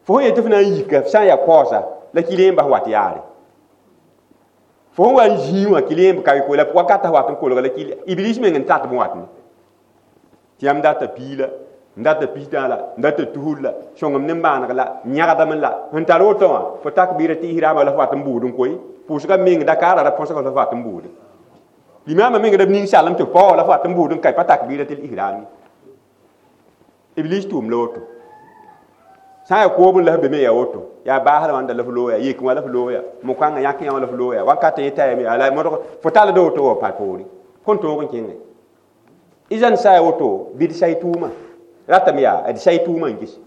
fo sẽn yet tɩ f na n yika f sã n yaa kaoosa la kɩl n bas wat yaare fo sẽn wa n zĩig wã kɩl n ka la wakata wat n kolga la kɩl iblis meng n tat b wat ne tɩ yãmb data pii la n data pistã la n data tusr la sõngem ne maaneg la n yãgdame la sẽn tar woto wã fo takbira tɩ ihrama la f wat n buud n koe pʋʋsga meng Dakar ra põsga la f wat n buude limama meng d ning salem tɩ pao la f wat n buud n ka pa takbira tɩ ihrami iblis tʋʋm la woto sã n yaa koob n la f be me yaa woto yaa baasd wãnda la f looya yek wã la f looya mo-kãngã yãk yã wã la f looya wakat yẽ tayame ala modg fo tall woto wa pa poore kõn tõog n kẽngẽ izan sã ya woto bɩ d say tʋʋma ratame yaa d say tʋʋmã n ges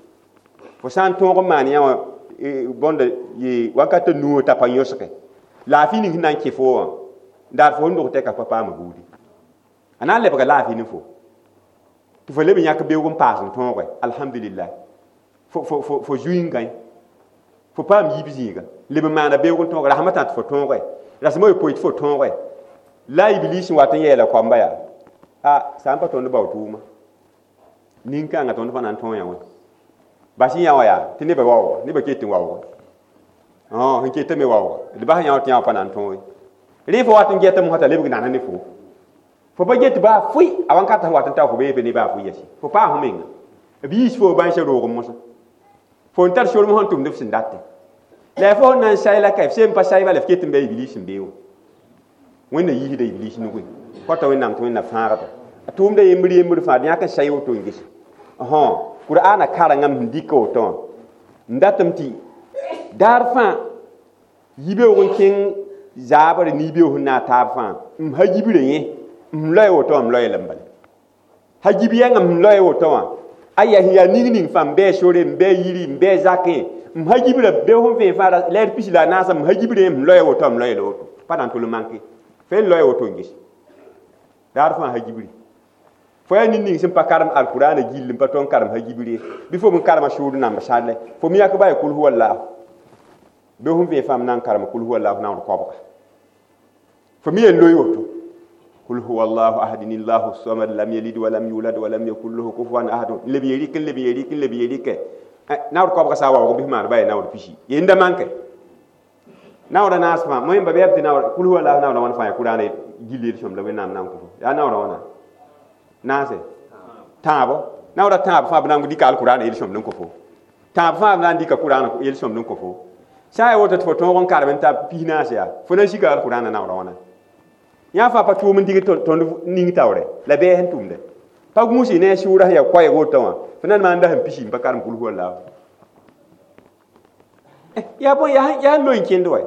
fo sã n tõog n maan yã wã bõnda wakat nuo t'a pa yõsge laafɩ ning sẽn na n kẽ fo wã daar fo sẽn dog tɛka pa paama buudi a na n lebga laafɩ ne fo tɩ fo leb n yãk beoog n paas n tõoge alhamdulillah fo fo fo fo zuiingã fo paam yiib zĩiga leb n maana beoog n tõoge rasmã tã tɩ fo tõoge rasmã yopoe tɩ fo tõoge la iblis n wat n yeela koamba yaa a sã n pa tõnd bao tʋʋma nin-kãngã tõnd pa na n tõog yã wã bas yã wã yaa tɩ nebã waooga nebã ket n waooga sẽn ketame waooga d bas yã wã tɩ yã wã pa na n tõog ye rẽ fo wat n getame sã t'a lebg nana ne fo fo pa get baa fʋɩ a wãnkata sẽn wat n ta fo beebe ne baa fʋɩ yɛse fo paa fo menga b yiis fo bãnsã roog mosã fo n tar sorem sẽn tʋmd f sẽn datẽ la fo sẽn na n say la ka f sem pa say bala f ket n bɩ iblis n bee wã Wẽnna yiisda iblis nugẽ kɔta Wẽnnaam tɩ Wẽnna fãagda a tʋʋmda yembr yembr fãa d yãk n say woto n ges Qur'ana karengame sẽn dɩka woto wã n datame tɩ daar fãa yibeoog n kẽng zaabr ne yibeoog sẽn na a taab fãa m ha yibrã yẽ m loe woto wã m loe lame bala ha yib yɛngã m loe woto wã aya sẽn yaa ning ning fãa m bɩ sore m bɩ yiri m bɩ zakẽ m ha yibrã beoog sẽn vẽe fãa lɛɛr pis la a naasã m ha yibrã yẽ m loe woto m loe la woto pa na n tol n manke fe n loe woto n ges daar fãa ha yibri fo yaa nin ning sẽn pa karem alkurana gill n pa tõnd karem ha yibr ye bɩ fo m karema sʋʋd namba sadle fo me yak ba ya kul huwa allahu beoog sẽn vẽe fãa m na n karema kul huwa allahu naoor koabga fo me yen loe woto قل هو الله احد الله الصمد لم يلد ولم يولد ولم يكن له كفوا احد leb ye rɩk n leb ye rɩk n leb ye rɩkɛ naoor koabga sã n waoog bɩ maan ba yaa naoor pisi yenda manke naoora naas fãa moẽmba bɩ yaa tɩ naoor kul huwa allahu naoora wãn fãa yaa kurana gill yel-sõm la Wẽnnaam na n kõ fo yaa naoora wãna naase tãabo naoora tãab fãa b na n dɩka alkurana yel-sõmd n kõ fo tãab fãa b na n dɩka kurana yel-sõmd n kõ fo sã n yaa woto tɩ fo tõog n karem n ta pis naas yaa fo na n sika alkurana naoora wãna yã fãa pa tʋʋm n dig tõnd ning taoore la bɛɛ sẽn tʋmde pa gũusi ne a sʋʋra sẽn yaa koɛɛg woto wã fo na n maan da sẽn pisi n pa karem kul huwa allahu yaa bõe yaa sẽn loe n kẽnd wa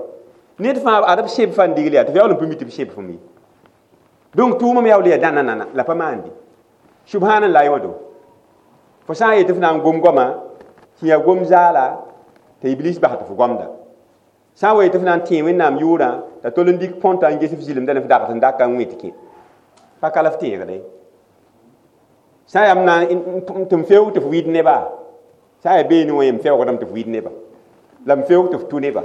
ned fãa ad b seb fãa n digl yaa tɩ f yaool n pʋ mi tɩ b seb fo me donc tʋʋmame yaool yaa dãna nana la pa maande subhanallah wã do fo sã n yetɩ f na n gom goama tɩ yaa gom zaala t'a iblis bas tɩ fo gomda sã n wa yetɩ f na n tẽe Wẽnnaam yʋʋrã t'a tol n dɩk põntã n ges f zɩlemda ne f dagt n daka n wẽ tɩ kẽ pa ka la f tẽegde sã n yaa m na tɩ m feoog tɩ f wɩɩd neba sã n yaa beene wã m feoogdame tɩ f wɩɩd neba la m feoog tɩ f tʋ neba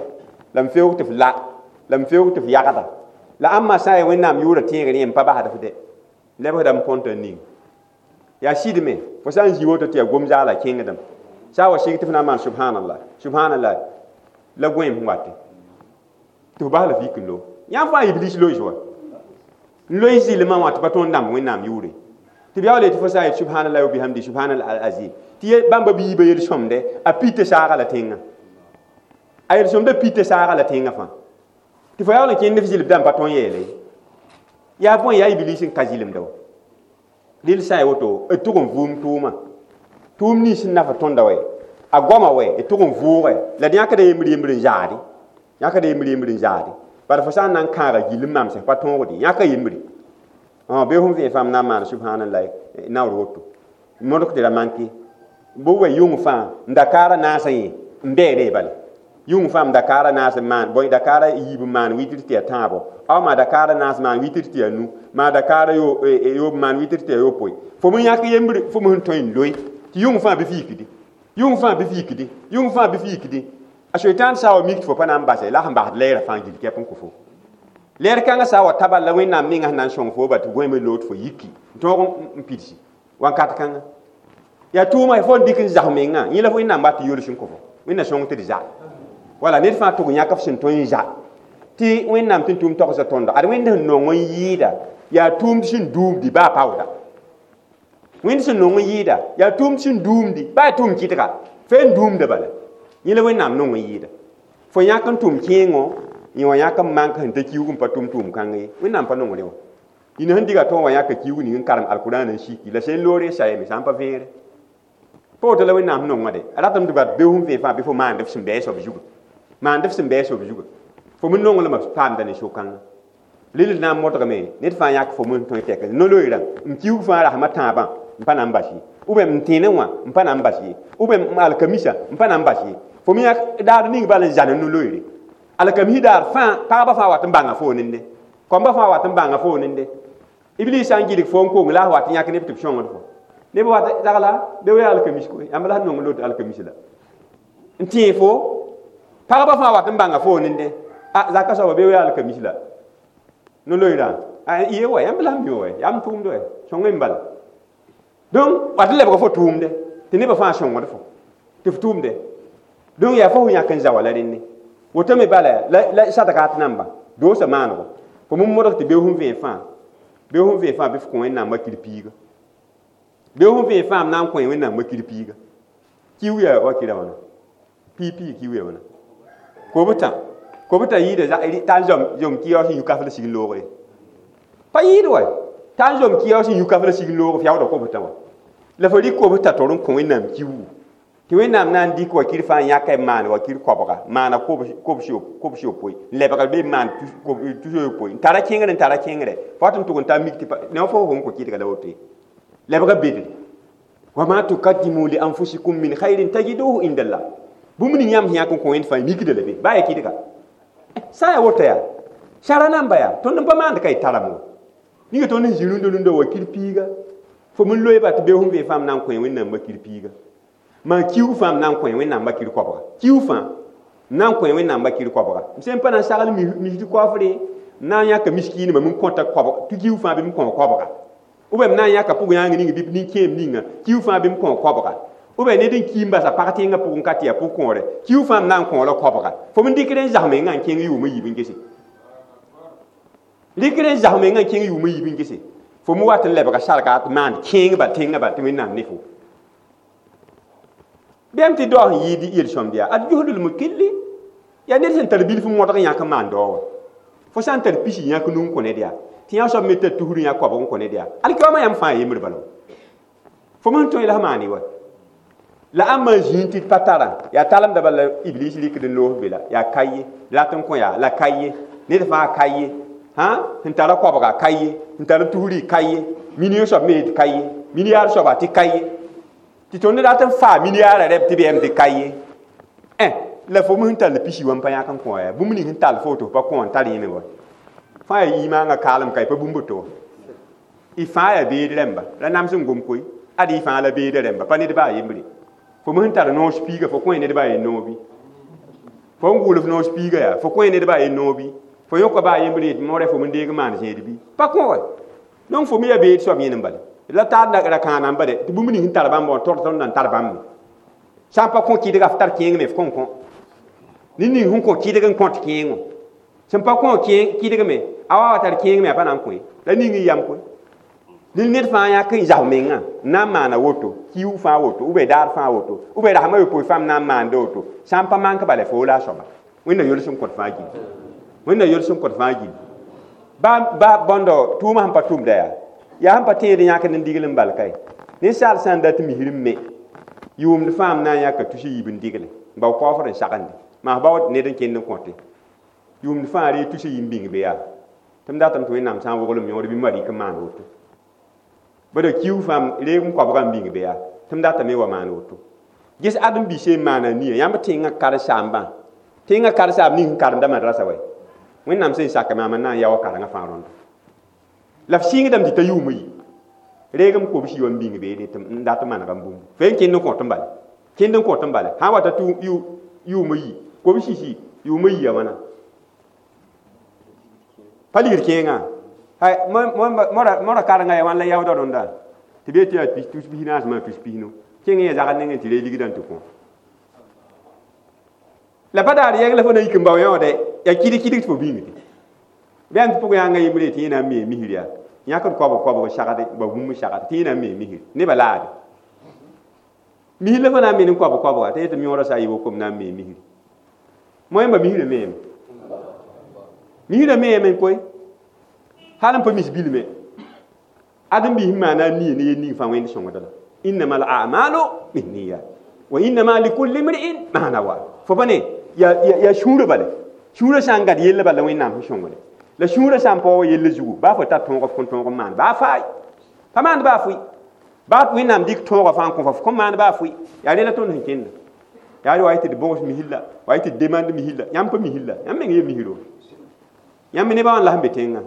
la m feoog tɩ f la la m feoog tɩ f yagda la ãmba sã n yaa Wẽnnaam yʋʋrã tẽegr yẽ n pa basd f dɛ lebsdame põntã ning yaa sɩdme fo sã n zĩ woto tɩ yaa gom zaala kẽngdame sã n wa sig tɩ f na n maan subhanallah subhanallah la goẽem sẽn wate tɩ f bas la fik n lo yãmb fãa iblis lois wa n loe zɩlmã wã tɩ pa tõnd dãmb Wẽnnaam yʋʋre tɩ b yaool tɩ fo sã n yet subhanallah wa bihamdi subhanallah al azim tɩ bãmba biibã yel-sõmde a pita saaga la tẽngã a yel-sõmda pita saaga la tẽngã fãa tɩ fo yaool n kẽnd f zɩlb dãmb pa tõnd yeele Yaa bõe yaa iblis n ka zɩlemda wa rɩl sã n ya woto d tʋg n vʋʋm tʋʋmã tʋʋm nins sẽn naf tõnda wɛ a goama wɛ d tʋg n vʋʋgɛ la d yãkda yembr yembr n zaade yãkda yembr yembr n zaade bala fo sã n na n kãaga gill n mamsẽ pa tõogde yãka yembre bee fõn vẽe fãa m na n maan subhanallah naoor woto modg tɩ ra manke bɩ wa yʋng fãa n dakaarã naasã yẽ n bɛɛre bala yʋng fãa m dakaarã naas n maan bõe dakaarã yiib n maan witr tɩ yaa tãabo aw maa dakaarã naas maan witr tɩ yaa nu maa dakaarã yoob maan witr tɩ yaa yopoe fo me yãk yembr fo me sẽn tõe n loe tɩ yʋng fãa bɩ f yikdi yʋng fãa bɩ f yikdi yʋng fãa bɩ f yikdi a soitan sã wa mik tɩ fo pa na n base la sẽn basd lɛɛrã fãa gil kɛp n kõ fo lɛɛr kãngã sã wa ta bal la wẽnnaam mengã sẽn na n sõng fo ba tɩ gõeme lood fo yiki n tõog n pidsi wãnkat kãngã yaa tʋʋma fo n dɩk n zas mengã yẽ la wẽnnaam wat tɩ yols n kõ fo wẽnna sõng tɩ d za wala ned fãa tʋg yãk f sẽn tõe n za tɩ wẽnnaam tɩ n tʋʋm togsa tõndo ad wẽnd sẽn nong n yɩɩda yaa tʋʋmd sẽn duumdi baa paooda wẽnd sẽn nong n yɩɩda yaa tʋʋmd sẽn duumdi baa tʋʋm kɩtga fe n duumda bala yẽ la wẽnnaam nong n yɩɩda fo yãk n tʋm kẽengo yẽ wã yãk n mank sẽn ta kiuug n pa tʋm tʋʋm kãng ye wẽnnaam pa nongre wã ina sẽn diga tõog wã yãka kiuug ning n karem alkurãan n siki la sẽn loore sayame sã n pa vẽere pa woto la wẽnnaam nongã de a ratame tɩ bat beo sẽn vẽ fãa bɩ fo maand f sẽn bɛɛ soab zuga maand f sẽn bɛɛ soab zuga fo me nonglmã paamda ne so-kãngã rɩl na n modgame ned fãa yãk fo me tõe tɛk no-loeerã m kiuug fãa rasmã tãabã n pa na n bas ye ou bien m tẽenẽ wã n pa na n bas ye ou bien m alkamisa n pa na n bas ye fo me yãk daar ning bal n zãn no-loeere alkamisi daar fãa pagba fãa wat n bãnga fo nende kɔmbã fãa wat n bãnga fo nende iblis sã n gilg fo n kong la a wat n yãk neb tɩ b sõngd fo neb wat dagla be wa alkamis koe yãmb la sẽn nong lot alkamis la n tẽe fo pagba fãa wat n bãnga fo nende a zaka soaba be wa alkamis la no-loeerã ye wa yãmb la sẽn mi wa yaa m tʋʋmd wa sõng n bala donc wat n lebga fo tʋʋmde tɩ nebã fãa sõngd fo tɩ f tʋʋmde donc yaa fo yãk n za wala rẽnne woto me bala la sadga tɩ namba doosa maanego fo me modg tɩ beo sẽn vẽe fãa beo sẽn vẽe fãa bɩ f kõ wẽnnaam wakir piiga beo sẽn vẽe fãa m na n kõ wẽnnaam wakir piiga kiu yaa wakira wãna pii pii kiu yaa wãna kobtã kobtã yɩɩda t'a n zom kɩyaoos n yũ kaf la sig loogre pa yɩɩd wa t'a n zom kɩyaoos n yũ kaf la sig loog fiaoodã kobtã wa la fo rɩk kobtã tor n kõ wẽnnaam kiuugu tɩ wẽnnaam na n dɩk wakir fãa n yãka n maan wakir koabga maana kobs yopoe n lebg be n maan tus yopoe n tara kẽngr n tara kẽngre fo wat n tʋg n ta mik tɩ ne fo fo n kõ kɩdga la woto ye lebga bedre wama tukaddimu li anfusikum min khairin tajiduhu indallah bũmb ning yãmb sẽn yãk n kõ wẽnd fãa mikda la be baa ya kɩdga sã n ya woto yaa sara namba yaa tõnd n pa maand ka y tarame wa ninga tõnd sẽn zĩ rũndã rũndã wakir piiga fo me loe ba tɩ beo sẽn vẽ fãa m na n kõ wẽnnaam wakir piiga maa kiuug fãa m na n kõ wẽnnaam wakir koabga kiuug fãa m na n kõ wẽnnaam wakir koabga m sẽn pa na n sagl misd koafre m na n yãka miskiinimã m kõta koabg tɩ kiuug fãa bɩ m kõ koabga ou bien m na n yãka pʋg yãng ning bɩ nin-kẽem ninga kiuug fãa bɩ m kõ koabga ou bien ned n ki n basa pag tẽngã pʋgẽ ka tɩ yaa pʋg-kõore kiuug fãa m na n kõ la koabga fo me dɩkd n zas mengã n kẽng yʋʋm n yiib n gese rɩkd n zas mengã n kẽng yʋʋm n yiib n gese fo me wat n lebga sarka tɩ maand kẽeng bal tẽngã bal tɩ wẽnnaam ne fo bɩam tɩ dao sẽn yɩɩd yel-sõmd yaa ad juhdl mukilli yaa ned sẽn tar bilf modg yãk n maan dao wã fo sã n tar pisi yãk nu n kõ ned yaa tɩ yã soab me tar tusr yã koabg n kõ ned yaa alkiyaoomã yãmb fãa yembr bala fo me sẽn tõe la f maane wa la ãmb n zĩig tɩ d pa tara yaa talemda bala iblis rɩkd n loos be la yaa ka ye rat n kõ yaa la ka ye ned fãa ka ye hã sẽn tara koabga ka ye sẽn tar tusri ka ye million soab me tɩ ka ye milliard soaba tɩ ka ye tɩ tõnd rat n faa milliarda rɛb tɩ bɩ tɩ ka ye la fo me sẽn tall pisi wã n pa yãk n kõ yaa bũmb ning sẽn tall fo tɩ f pa kõ n tar yẽme wa fãa yaa imaangã kaalem ka y pa bũmb to y fãa yaa beed rẽmba la nams n gom koe ad y fãa la beeda rẽmba pa ned baa yembre fo me sẽn tar noos piiga fo kõ ned baa yen noobi fo n gʋʋl f noos piiga yaa fo kõ ned baa yen noobi fo yõka baa yembre yetɩ moorã fo me deeg n maan zẽed bɩ pa kõ wa donc fo me yaa beed soab yẽnem bala la taar ra kãana n bade tɩ bũmb ning sẽn tar bãmb wã tord tõnd na n tar bãmb me sã n pa kõ kɩdga f tar kẽeng me f kõn kõ ned ning sẽn kõ kɩdg n kõt kẽengo sẽn pa kõ kɩdg me a wa wa tar kẽeng me a pa na n kõ la ning n yam koe ned ned fãa yãk n zas mengã n na n maana woto kiuug fãa woto ou bien daar fãa woto ou bien rasmã yopoe fãa m na n maanda woto sã n pa mank bala fo la a soaba wẽnna yols n kõt fãa gilli wẽnna yols n kõt fãa gilli Ba ba bõndo tʋʋmã sẽn pa tʋmda yaa yaa sẽn pa tẽed yãkd n digl n bal kae ninsaal sã n dat misr n me yʋʋmd fãa m na n yãka tus yiib n digle n bao kaoofd n sagende maa bao ned n kẽnd n kõte yʋʋmd fãa ree tus yiib n bĩng be yaa tɩ m datame tɩ Wẽnnaam sã n woglem yõod bɩ malɛk n maan woto bala kiu fãa reeg n koabga n bĩng be yaa tɩ m datame wa maan woto ges ãdem-biisã n maana nia yãmb tẽngã karen-saambã tẽngã karen-saamb ning sẽn karemda madrasa wɛ Wẽnnaam sẽn sak maam n na n yao karengã fãa rõndo la f sɩngdame tɩ ta yʋʋm yi reegem kobs yi n bĩng beede tɩ n dat n manega n bũmbu fo n kẽnd n kõt n bale kẽnd n kõt n bale sã n wata yʋʋm yi kobs sisi yʋʋm yiya wãna pa ligd kẽengã mora karenga ya wãn la yaoodã rõnda tɩ bee tɩ yaa tus pis naas maa tus pisnu kẽng ya zagd nengẽ tɩ ree ligdã n tɩ kõ la pa daar yɛng la fo na yik n bao yõode yaa kɩd kɩdg tɩ fo bĩngde bɩ tɩ pʋg yãnga yembre tɩ yẽ na n mee misr yaa yãkd koabg koabg sagde ba bũmb sagd tɩ yẽ na n mee misr nebã laade misr la fo na n me ne koabg koabga tɩ yetɩ yõodã sa a yɩ kom na n mee misr moẽmba misrã meeme misrã meeme koe hal n pa mis bilme ãdem-biis n maana a nia ne yel ning fãa Wẽnd sõngd la innama al a'malu binniyat wa innama likulli imri'in ma nawa fo pa ne yaa sũurã bale sũurã sã n gad yella bala Wẽnnaam sẽn sõngde la sũurã sã n paoog yella zugu baa fo tar tõog f kõn tõog n maan baa faay pa maand baa fʋɩ baa Wẽnnaam dɩk tõogã fãa n kõ fo f kõn maan baa fʋɩ yaa rẽ la tõnd sẽn kẽnda yaa wa y tɩ d bõgs misilla wa y tɩ d demande misilla yãmb pa misilla yãmb meng ye misro yãmb nebã wã la sẽn be tẽngã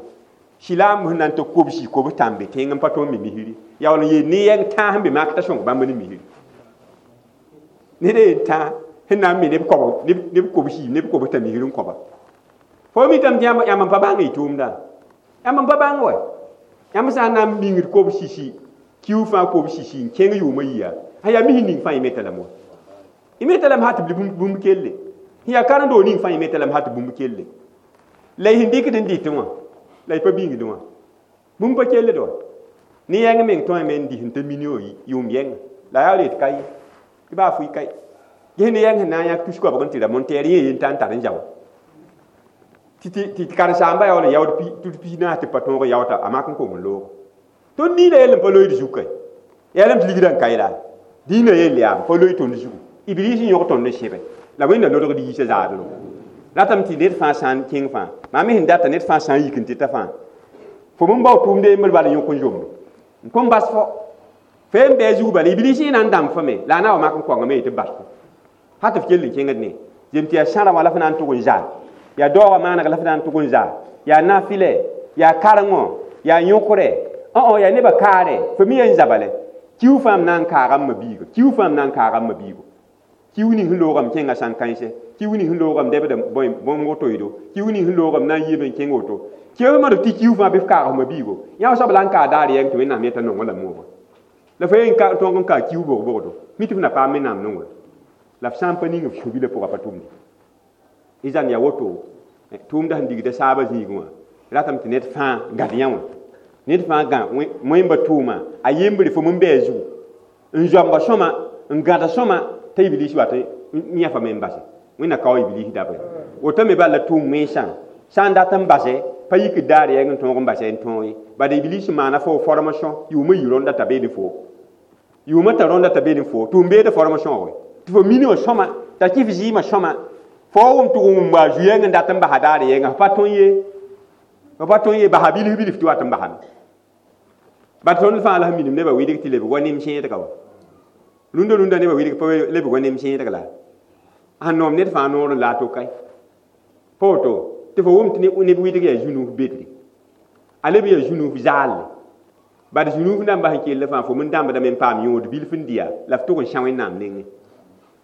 silaam sẽn na n tɩ kobsi kobs tãmbe tẽng n pa tõnd me misri yaa wall n yeel ne yɛng tãas sẽn be mak t'a sõng bãmb ne misri ned yen tãa sẽn na n me neb kob neb kobsi neb kobs t'a misr n kõba fo mitame tɩ yãmb n pa bãng y tʋʋmdã yãmb n pa bãng wɛ yãmb sã n na n bĩngd kobs sisi kiu fãa kobs sisi n kẽng yʋʋmã yia sã yaa misr ning fãa y meta lame wa y meta lame sã tɩ bũmb kelle sẽn yaa karen-doog ning fãa y meta lame sã tɩ bũmb kelle la y sẽn dɩkd n dɩtẽ wã la y pa bĩngdẽ wã bũmb pa kelld wa ne yɛng meng tõeme n dɩs n ta million yʋʋm yɛnga la yaa ret ka ye tɩ baa fʋɩ ka ye ges ne yɛng sẽn na n yãk tus koabg n tɩ ra montɛɛr yẽ yen t'a n tar n zao tɩ karen-saamba yaa wall n yaood tus pis naas tɩ pa tõog n yaoota a mak n kong n loog tõnd dĩinã yell n pa loeed zug kae yaa lame tɩ ligdã n ka la dĩinã yell yaa n pa loe tõnd zugu Iblis n yõg tõnd n sẽbe la Wẽnda lodgd yiisã zaadro ratame tɩ ned fãa sã n kẽng fãa maam me sẽn data ned fãa sã n yik n tɩ ta fãa fo m bao tʋʋmde yembr bala yõk n zomdo n kõn bas fo fo n bɩ a zug bala Iblis yẽ na n dãmb fo me la a na wa mak n kõngame ye tɩ bas fo sã tɩ f kell n kẽngd ne zem tɩ yaa sãra wã la f na n tʋg n zaal yaa daoogã maaneg la f na n tʋg n zaal yaa nafɩlɛ yaa karengõ yaa yõkrɛ õ yaa nebã kaare fo mi yaa n zabale kiu fãa m na n kaaga m ma-biiga kiu fãa m na n kaaga m ma-biigo kiu ning sẽn loogame kẽnga sãn-kãense kiu ning sẽn loogame dɛbda bõmb woto-ydo kiu ning sẽn loogame na n yiime n kẽng woto kiu ma tɩ kiu fãa bɩ f kaag f ma-biigo yã soab la n kaa daar yɛng tɩ Wẽnnaam yeta nongã la moogã la fo yen tõog n kaa kiu bog-bogdo mi tɩ f na paam Wẽnnaam nongre la f sã n pa ning f sũ-bilã pʋga pa tʋmde izan yaa woto tʋʋmda sẽn digda saabã zĩigẽ wã ratame tɩ ned fãa gãd yã wã ned fãa gã wẽmba tʋʋma a yembre fo m bɩ a zugu n zoamba sõma n gãda sõma t'a Iblis wat n yãfame n base Wẽnna kao Iblis dabre woto me bala tʋʋm wẽnsã sã n dat n base pa yikd daar yɛng n tõog n base n tõog ye bad Iblis maana fo formation yʋʋmã yi rõnda t'a beene fo yʋʋmã t'a rõnda t'a beene fo tɩ m beeda formation wɛ tɩ fo mini wã sõma t'a kɩf zɩɩmã sõma fo wʋm tɩ wʋm wa zu-yɛng n dat n basa daar yɛnga f pa tõe ye f pa tõe ye basa bilf bilf tɩ wat n basame bad tõnd fãa la sẽn minim nebã wɩdg tɩ lebg wa nem sẽedga wa rũndã rũndã nebã wɩdg pa lebg wa nem sẽedg la sẽn noom ned fãa noor n la a to kae pa woto tɩ fo wʋm tɩ neb wɩdg yaa zu-nuuf bedre a leb yaa zu-nuuf zaalle bad zu-nuuf dãmbã sẽn kell fãa fo m dãmbdame n paam yõod bilf n dɩya la f tʋg n sã Wẽnnaam nengẽ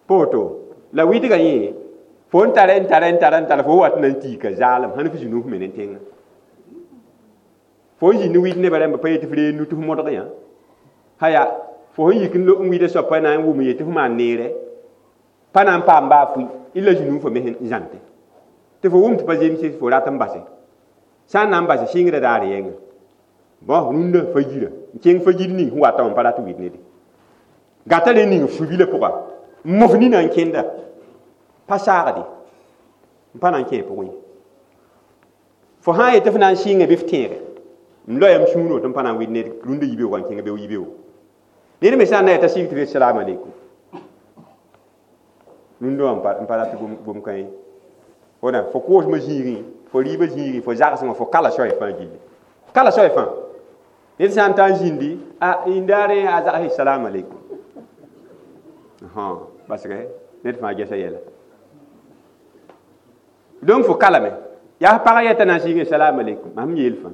pa woto la wɩdgã yẽ fo n tara n tara n tara n tara fo wat na n tiika zaalem sãn f zu-nuuf me ne tẽngã fo n zĩnd wɩd nebã rãmba pa yetɩ f ree nu tɩ f modg yã haya fo sẽn yik n wɩda soab pa na n wʋm yetɩ f maan neerɛ pa na n paam baa fʋɩ illa zu-nuufã me sẽn zãnte tɩ fo wʋm tɩ pa zemse fo rat n base sã n na n base sɩngrã daar yɛngã bõ rũndã fa yira n kẽng fa yir ning sẽn wata wã n pa rat wɩd nede gata rẽ ning f su-bilã pʋga n mos nina n kẽnda pa saagde n pa na n kẽ pʋgẽ Fo sã n yet tɩ f na n sɩnge bɩ f tẽege m loyam sũur tɩ m pa na n wɩd ned rũndã yibeoogã n kẽng beoog yibeoogo ned me sã n na yeta sɩng tɩ f salam aleykum rũndã wã n pa rat gom kã ye wona fo koosmã zĩigẽ fo rɩɩbã zĩigẽ fo zagsẽ fo kala soay fãa gilli kala soay fãa ned sã n ta n zĩndi a indaare a zags salam aleykum basge ned fãa gesa yɛla donc fo kalame yaa pagã yɛta na n sɩnge salam aleykum mam yeel fãa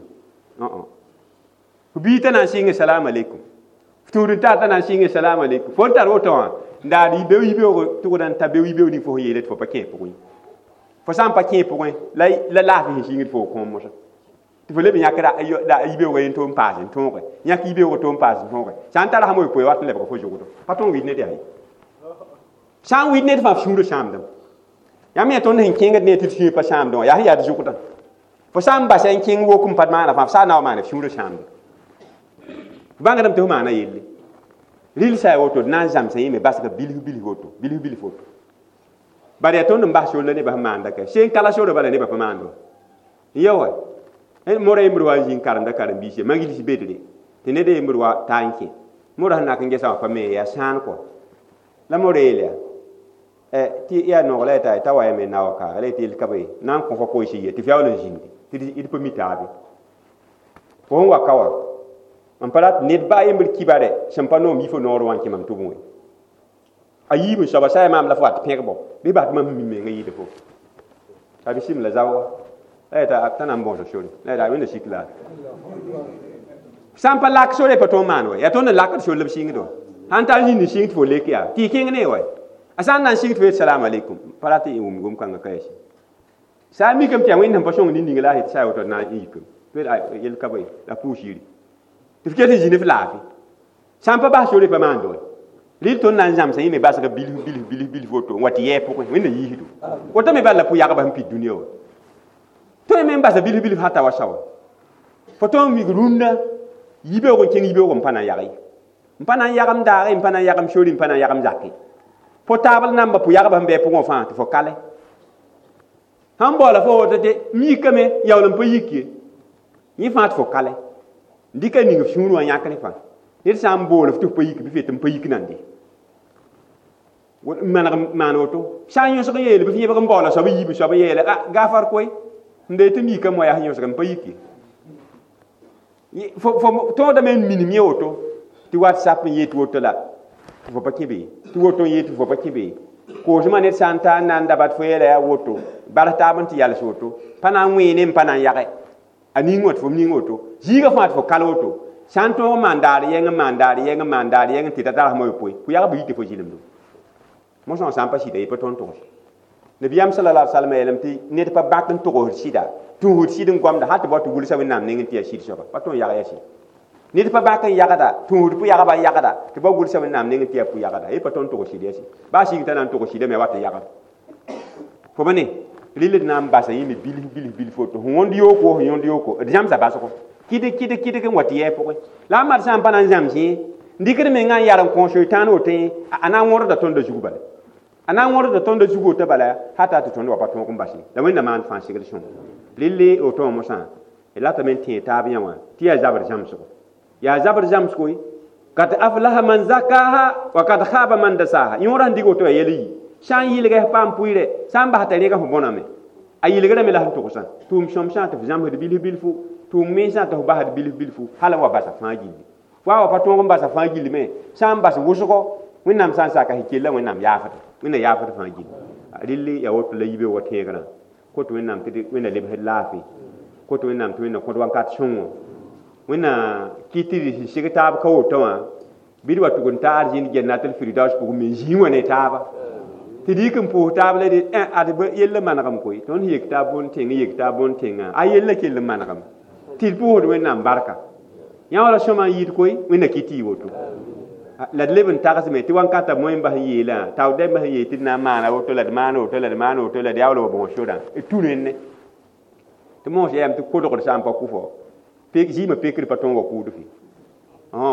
fo bii t'a na n sɩnge salam aleykum f tũud n tar t'a na n sɩnge salam aleykum fo n tar woto wã n daad beo yibeoog tʋgda n ta beo yibeoog ning fo sẽn yeele tɩ fo pa kẽ pʋgẽ fo sã n pa kẽ pʋgẽ la la laafɩ sẽn sĩngd fo kõom mosã tɩ fo leb n yãk yibeoogã yen tʋ n paas n tõoge yãk yibeoogã tʋ n paas n tõoge sã n tara sã moe poe wat n lebg fo zʋgdo pa tõog wɩd ned yaa ye sã n wɩd ned fãa f sũurã sãamdame yãmb yẽ tõnd sẽn kẽngd ne tɩ d sũur pa sãamdẽ wã yaa sẽn yaa d zʋgdã fo sã n basa n kẽng wok n pa maana fãa f saa na wa maana f sũurã sãamde f bãngdame tɩ f maana yelle rɩl sa ya woto d na n zãmsa yẽme basga bilf bilf woto bilf bilf woto bala yaa tõnd n bas sor la nebã sẽn maanda ka sẽn kala sora bala nebã pa maand wa ya wa mora yembr wa n zĩng karemda karen-biisã magils bedre tɩ ned yembr wa taa n kẽ mora sẽn nak n gesa wã pa me yaa sãan kɔ la mora yeel yaa tɩ yaa noog la t'a t'a wa yame na wa kaaga la yetɩ yel ka be na n kõ fo koees ye tɩ f yaool n zĩndi tɩ d pa mi taabe fo sẽn wa ka wã n pa rat ned baa yembr kibare sẽn pa noom yi fo noor wã n kẽ mam tʋbẽ we a yiib n soaba sa yaa maam la fo wat pẽgbo bɩ bas tɩ mam mi mengã yɩɩda fo a bɩ sɩm la zaooga la yeta t'a na n bõosa sore la yeta wẽnda sik la sã n pa lak sore pa tõog maan wa yaa tõnd n lakd sor la b sɩngd wa sãn tar zĩnd n sɩng tɩ fo lek yaa tɩ y kẽng ne wa a sã n na n sɩng tɩ fo yet salam aleykum pa rat n wʋm gom-kãngã ka yaa sã n mikame tɩ yaa wẽnd sẽn pa sõng nin-ning la a yetɩ sa ya woto na n yikame yel ka bõe la pʋʋs yiri tɩ f ket n zĩ ne f laafɩ sã n pa bas sore pa maand wa rɩl tõnd na n zãmsa yẽ me basga bilf bilf bilf bilf woto n wa tɩ yɛɛ pʋgẽ wẽnda yiisdo woto me bal la pʋ-yagba sẽn pid dũniyã wã tõe me n basa bilf bilf hata wa sawa fo tõnd mik rũndã yibeoog n kẽng yibeoog n pa na n yag ye n pa na n yagem daage n pa na n yagem sori n pa na n yagem zake fo taabl namba pʋ-yagba sẽn bɩ pʋgẽ fãa tɩ fo kale sãn baoola fo woto tɩ m yikame yaool n pa yik ye yẽ fãa tɩ fo kale n dɩka ning f sũur wã yãkr fãa ned sã n bool f tɩ f pa yik bɩ f yet n pa yik nande n maneg maan woto sã n yõsg n yeele bɩ f yẽbg n baoola soab n yiib soab n yeele a gafar koe n dee tɩ m yikame wã yaa sẽn yõsg n pa yik ye fo tõodame n minim yẽ woto tɩ whatsapp n yet woto la tɩ fo pa kẽ be tɩ woto n yet tɩ fo pa kẽ be koosmã ned sã n ta n na n da bat fo yeela yaa woto bars taab n tɩ yals woto pa na n wẽene n pa na n yage a ning wã tɩ fo ning woto zĩigã fãa tɩ fo kal woto sã n tõog n maan daar yɛng n maan daar yɛng n maan daar yɛng tɩ ta tar sã yopoe pʋ-yagb yita fo zɩlemdo mosã wã sã n pa sɩda ye pa tõnd togs nabiyaam sallallahu alaihi wasallam yeelame tɩ ned pa bãk n togsd sɩda tũusd sɩd n goamda hal tɩ bao tɩ gʋlsa wẽnnaam nengẽ tɩ yaa sɩd soaba pa tõnd yag yaa sɩd ned pa bãk n yagda tũusd pʋ-yagba n yagda tɩ bao gʋlsa wẽnnaam nengẽ tɩ yaa pʋ-yagda ye pa tõnd togs sɩd yaa sɩd baa sɩng t'a na n togs sɩdame a wat n yagd fo ba ne rɩl d na n basa yẽme bilf bilf bilf woto sẽn wõnd yooko sẽn yõnd yooko d zãmsa basgo kɩdg kɩdg kɩdg n wa tɩ yɛɛ pʋgẽ la a mat sã n pa na n zãms yẽ n dɩkd mengã n yar n kõ soetãan woto yẽ a na n wõrda tõndã zug bala a na n wõrda tõndã zug woto bala hata tɩ tõnd wa pa tõog n bas ye la wẽnna maan fãa segl sõngo relle woto wã mosã d ratame n tẽeg taab yã wã tɩ yaa zabr zãmsgo yaa zabr zãmsgo ye kad aflaha man zakaha wa kad khaba man dasaha yõora sẽn dɩg woto yaa yɛl yi sã n yɩlga f paam pʋɩɩrɛ sã n bas t'a rẽga fo bõname a yɩlgrame la sẽn togsã tʋʋm sõmsã tɩ f zãmsd bilf bilfu tʋʋm mensã tɩ f basd bilf bilfu hal n wa basa fãa gilli fo a wa pa tõog n basa fãa gilli me sã n bas wʋsgo wẽnnaam sã n saka sẽn kella wẽnnaam yaafda wẽnna yaafd fãa gilli relle yaa woto la yibeoogã tẽegrã kot wẽnnaam tɩ wẽnna lebsd laafɩ kot wẽnnaam tɩ wẽnna kõd wakat sõngo wẽnna kɩ tɩ d sɩg taab ka woto wã bɩ d wa tʋg n ta arzĩnd jannatul firdaus pʋgẽ me zĩig wã ne taaba tɩ d yik n pʋʋs taab la d ad yell manegem koe tõnd yek taab bõn-tẽng yek taab bõn-tẽngã a yella kell n manegem tɩ d pʋʋsd wẽnnaam barka yã wala sõma n yɩɩd koe wẽnna kɩ tɩ y woto la d leb n tagsme tɩ wãnkata moẽ bas n yeelã taood dãmbã sẽn yeel tɩ d na n maana woto la d maan woto la d maan woto la d yaool wa bõos sorã d tũ rẽnne tɩ moos yaame tɩ kodgd sã n pa kʋ fo zɩɩmã pekr pa tõog wa kʋʋd fɩ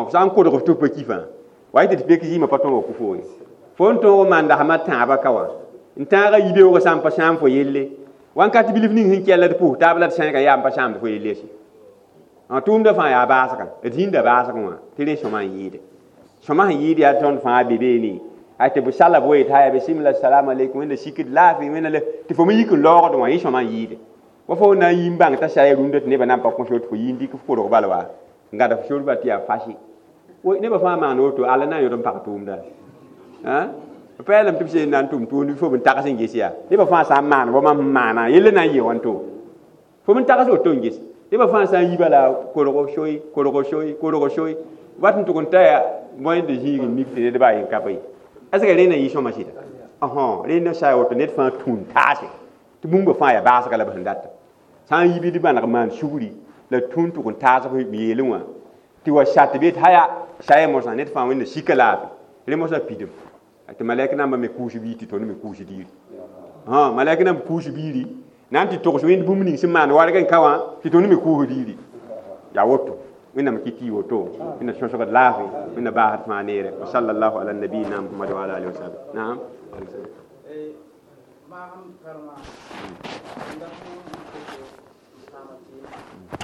f sã n kodg f tɩ f pa kifã wa tɩ d pek zɩɩmã pa tõog wa kʋ fo ye fo n tõog n maan dasmã tãabã ka wã n tãagã yibeoogã sã n pa sãam fo yelle Wãnkat bilf ning sẽn kell d pʋs taab la d sẽnega yaa n pa sãamd fo yel lese. Tʋʋmdã fãa yaa baasgã, d zĩnda baasgẽ wã tɩ rẽ sõma n yɩɩde. Sõma sẽn yɩɩd yaa tõnd fãa be beene. Ay tɩ b sala bo yetɩ haya bisimila salamu aleykum, wẽnna sikd laafɩ, wẽnna le tɩ fo me yik n laoogd wã, yẽ sõma n yɩɩde. Wa fo na n yi n bãng t'a saya rũndã tɩ nebã na n pa kõ sor tɩ fo yi n dɩk f korg bal wa n gãd f sor bal tɩ yaa fasi. Nebã fãa maan woto, alla na n yõd n pag tʋʋmda. B peelame tɩ b seen na n tʋm tʋʋmd fo b n tags n ges yaa. Nebã fãa sã n maan wa mam sẽn maana, yell na n yɩ wãnto. Fo n tags woto n ges. Nebã fãa sã n yi bala korgo soy, korgo soy, korgo soy, wat n tʋg n ta yaa moyen de zĩig n mik tɩ ned baa yen ka pa ye. Est ce que rẽnd na yɩ sõma sɩda? Ɔhõ, rẽnd na sa woto ned fãa tũun taase tɩ bũmba fãa yaa baasga la b sẽn data. Sã n yi bɩ d maneg maan sugri la tũun tʋg n taas b yeelẽ wã tɩ wa sat tɩ bet haya saya mosã ned fãa wẽnna sika laafɩ rẽ mosã pidem tɩ malɛk nambã me kʋʋs biig tɩ tõnd me kʋʋs diiri. Malɛk namba kʋʋs biiri na n tɩ togs wẽnd bũmb ning sẽn maan warg n ka wã tɩ tõnd me kʋʋs diiri. Yaa woto. Wẽnnaam kɩ tɩ y woto, wẽnna sõsgd laafɩ, wẽnna baasd fãa neere. Wa sallallahu ala nabiyina Muhammad wa ala alihi wa sahbihi. Naam. Maam karma nda n saama tɩ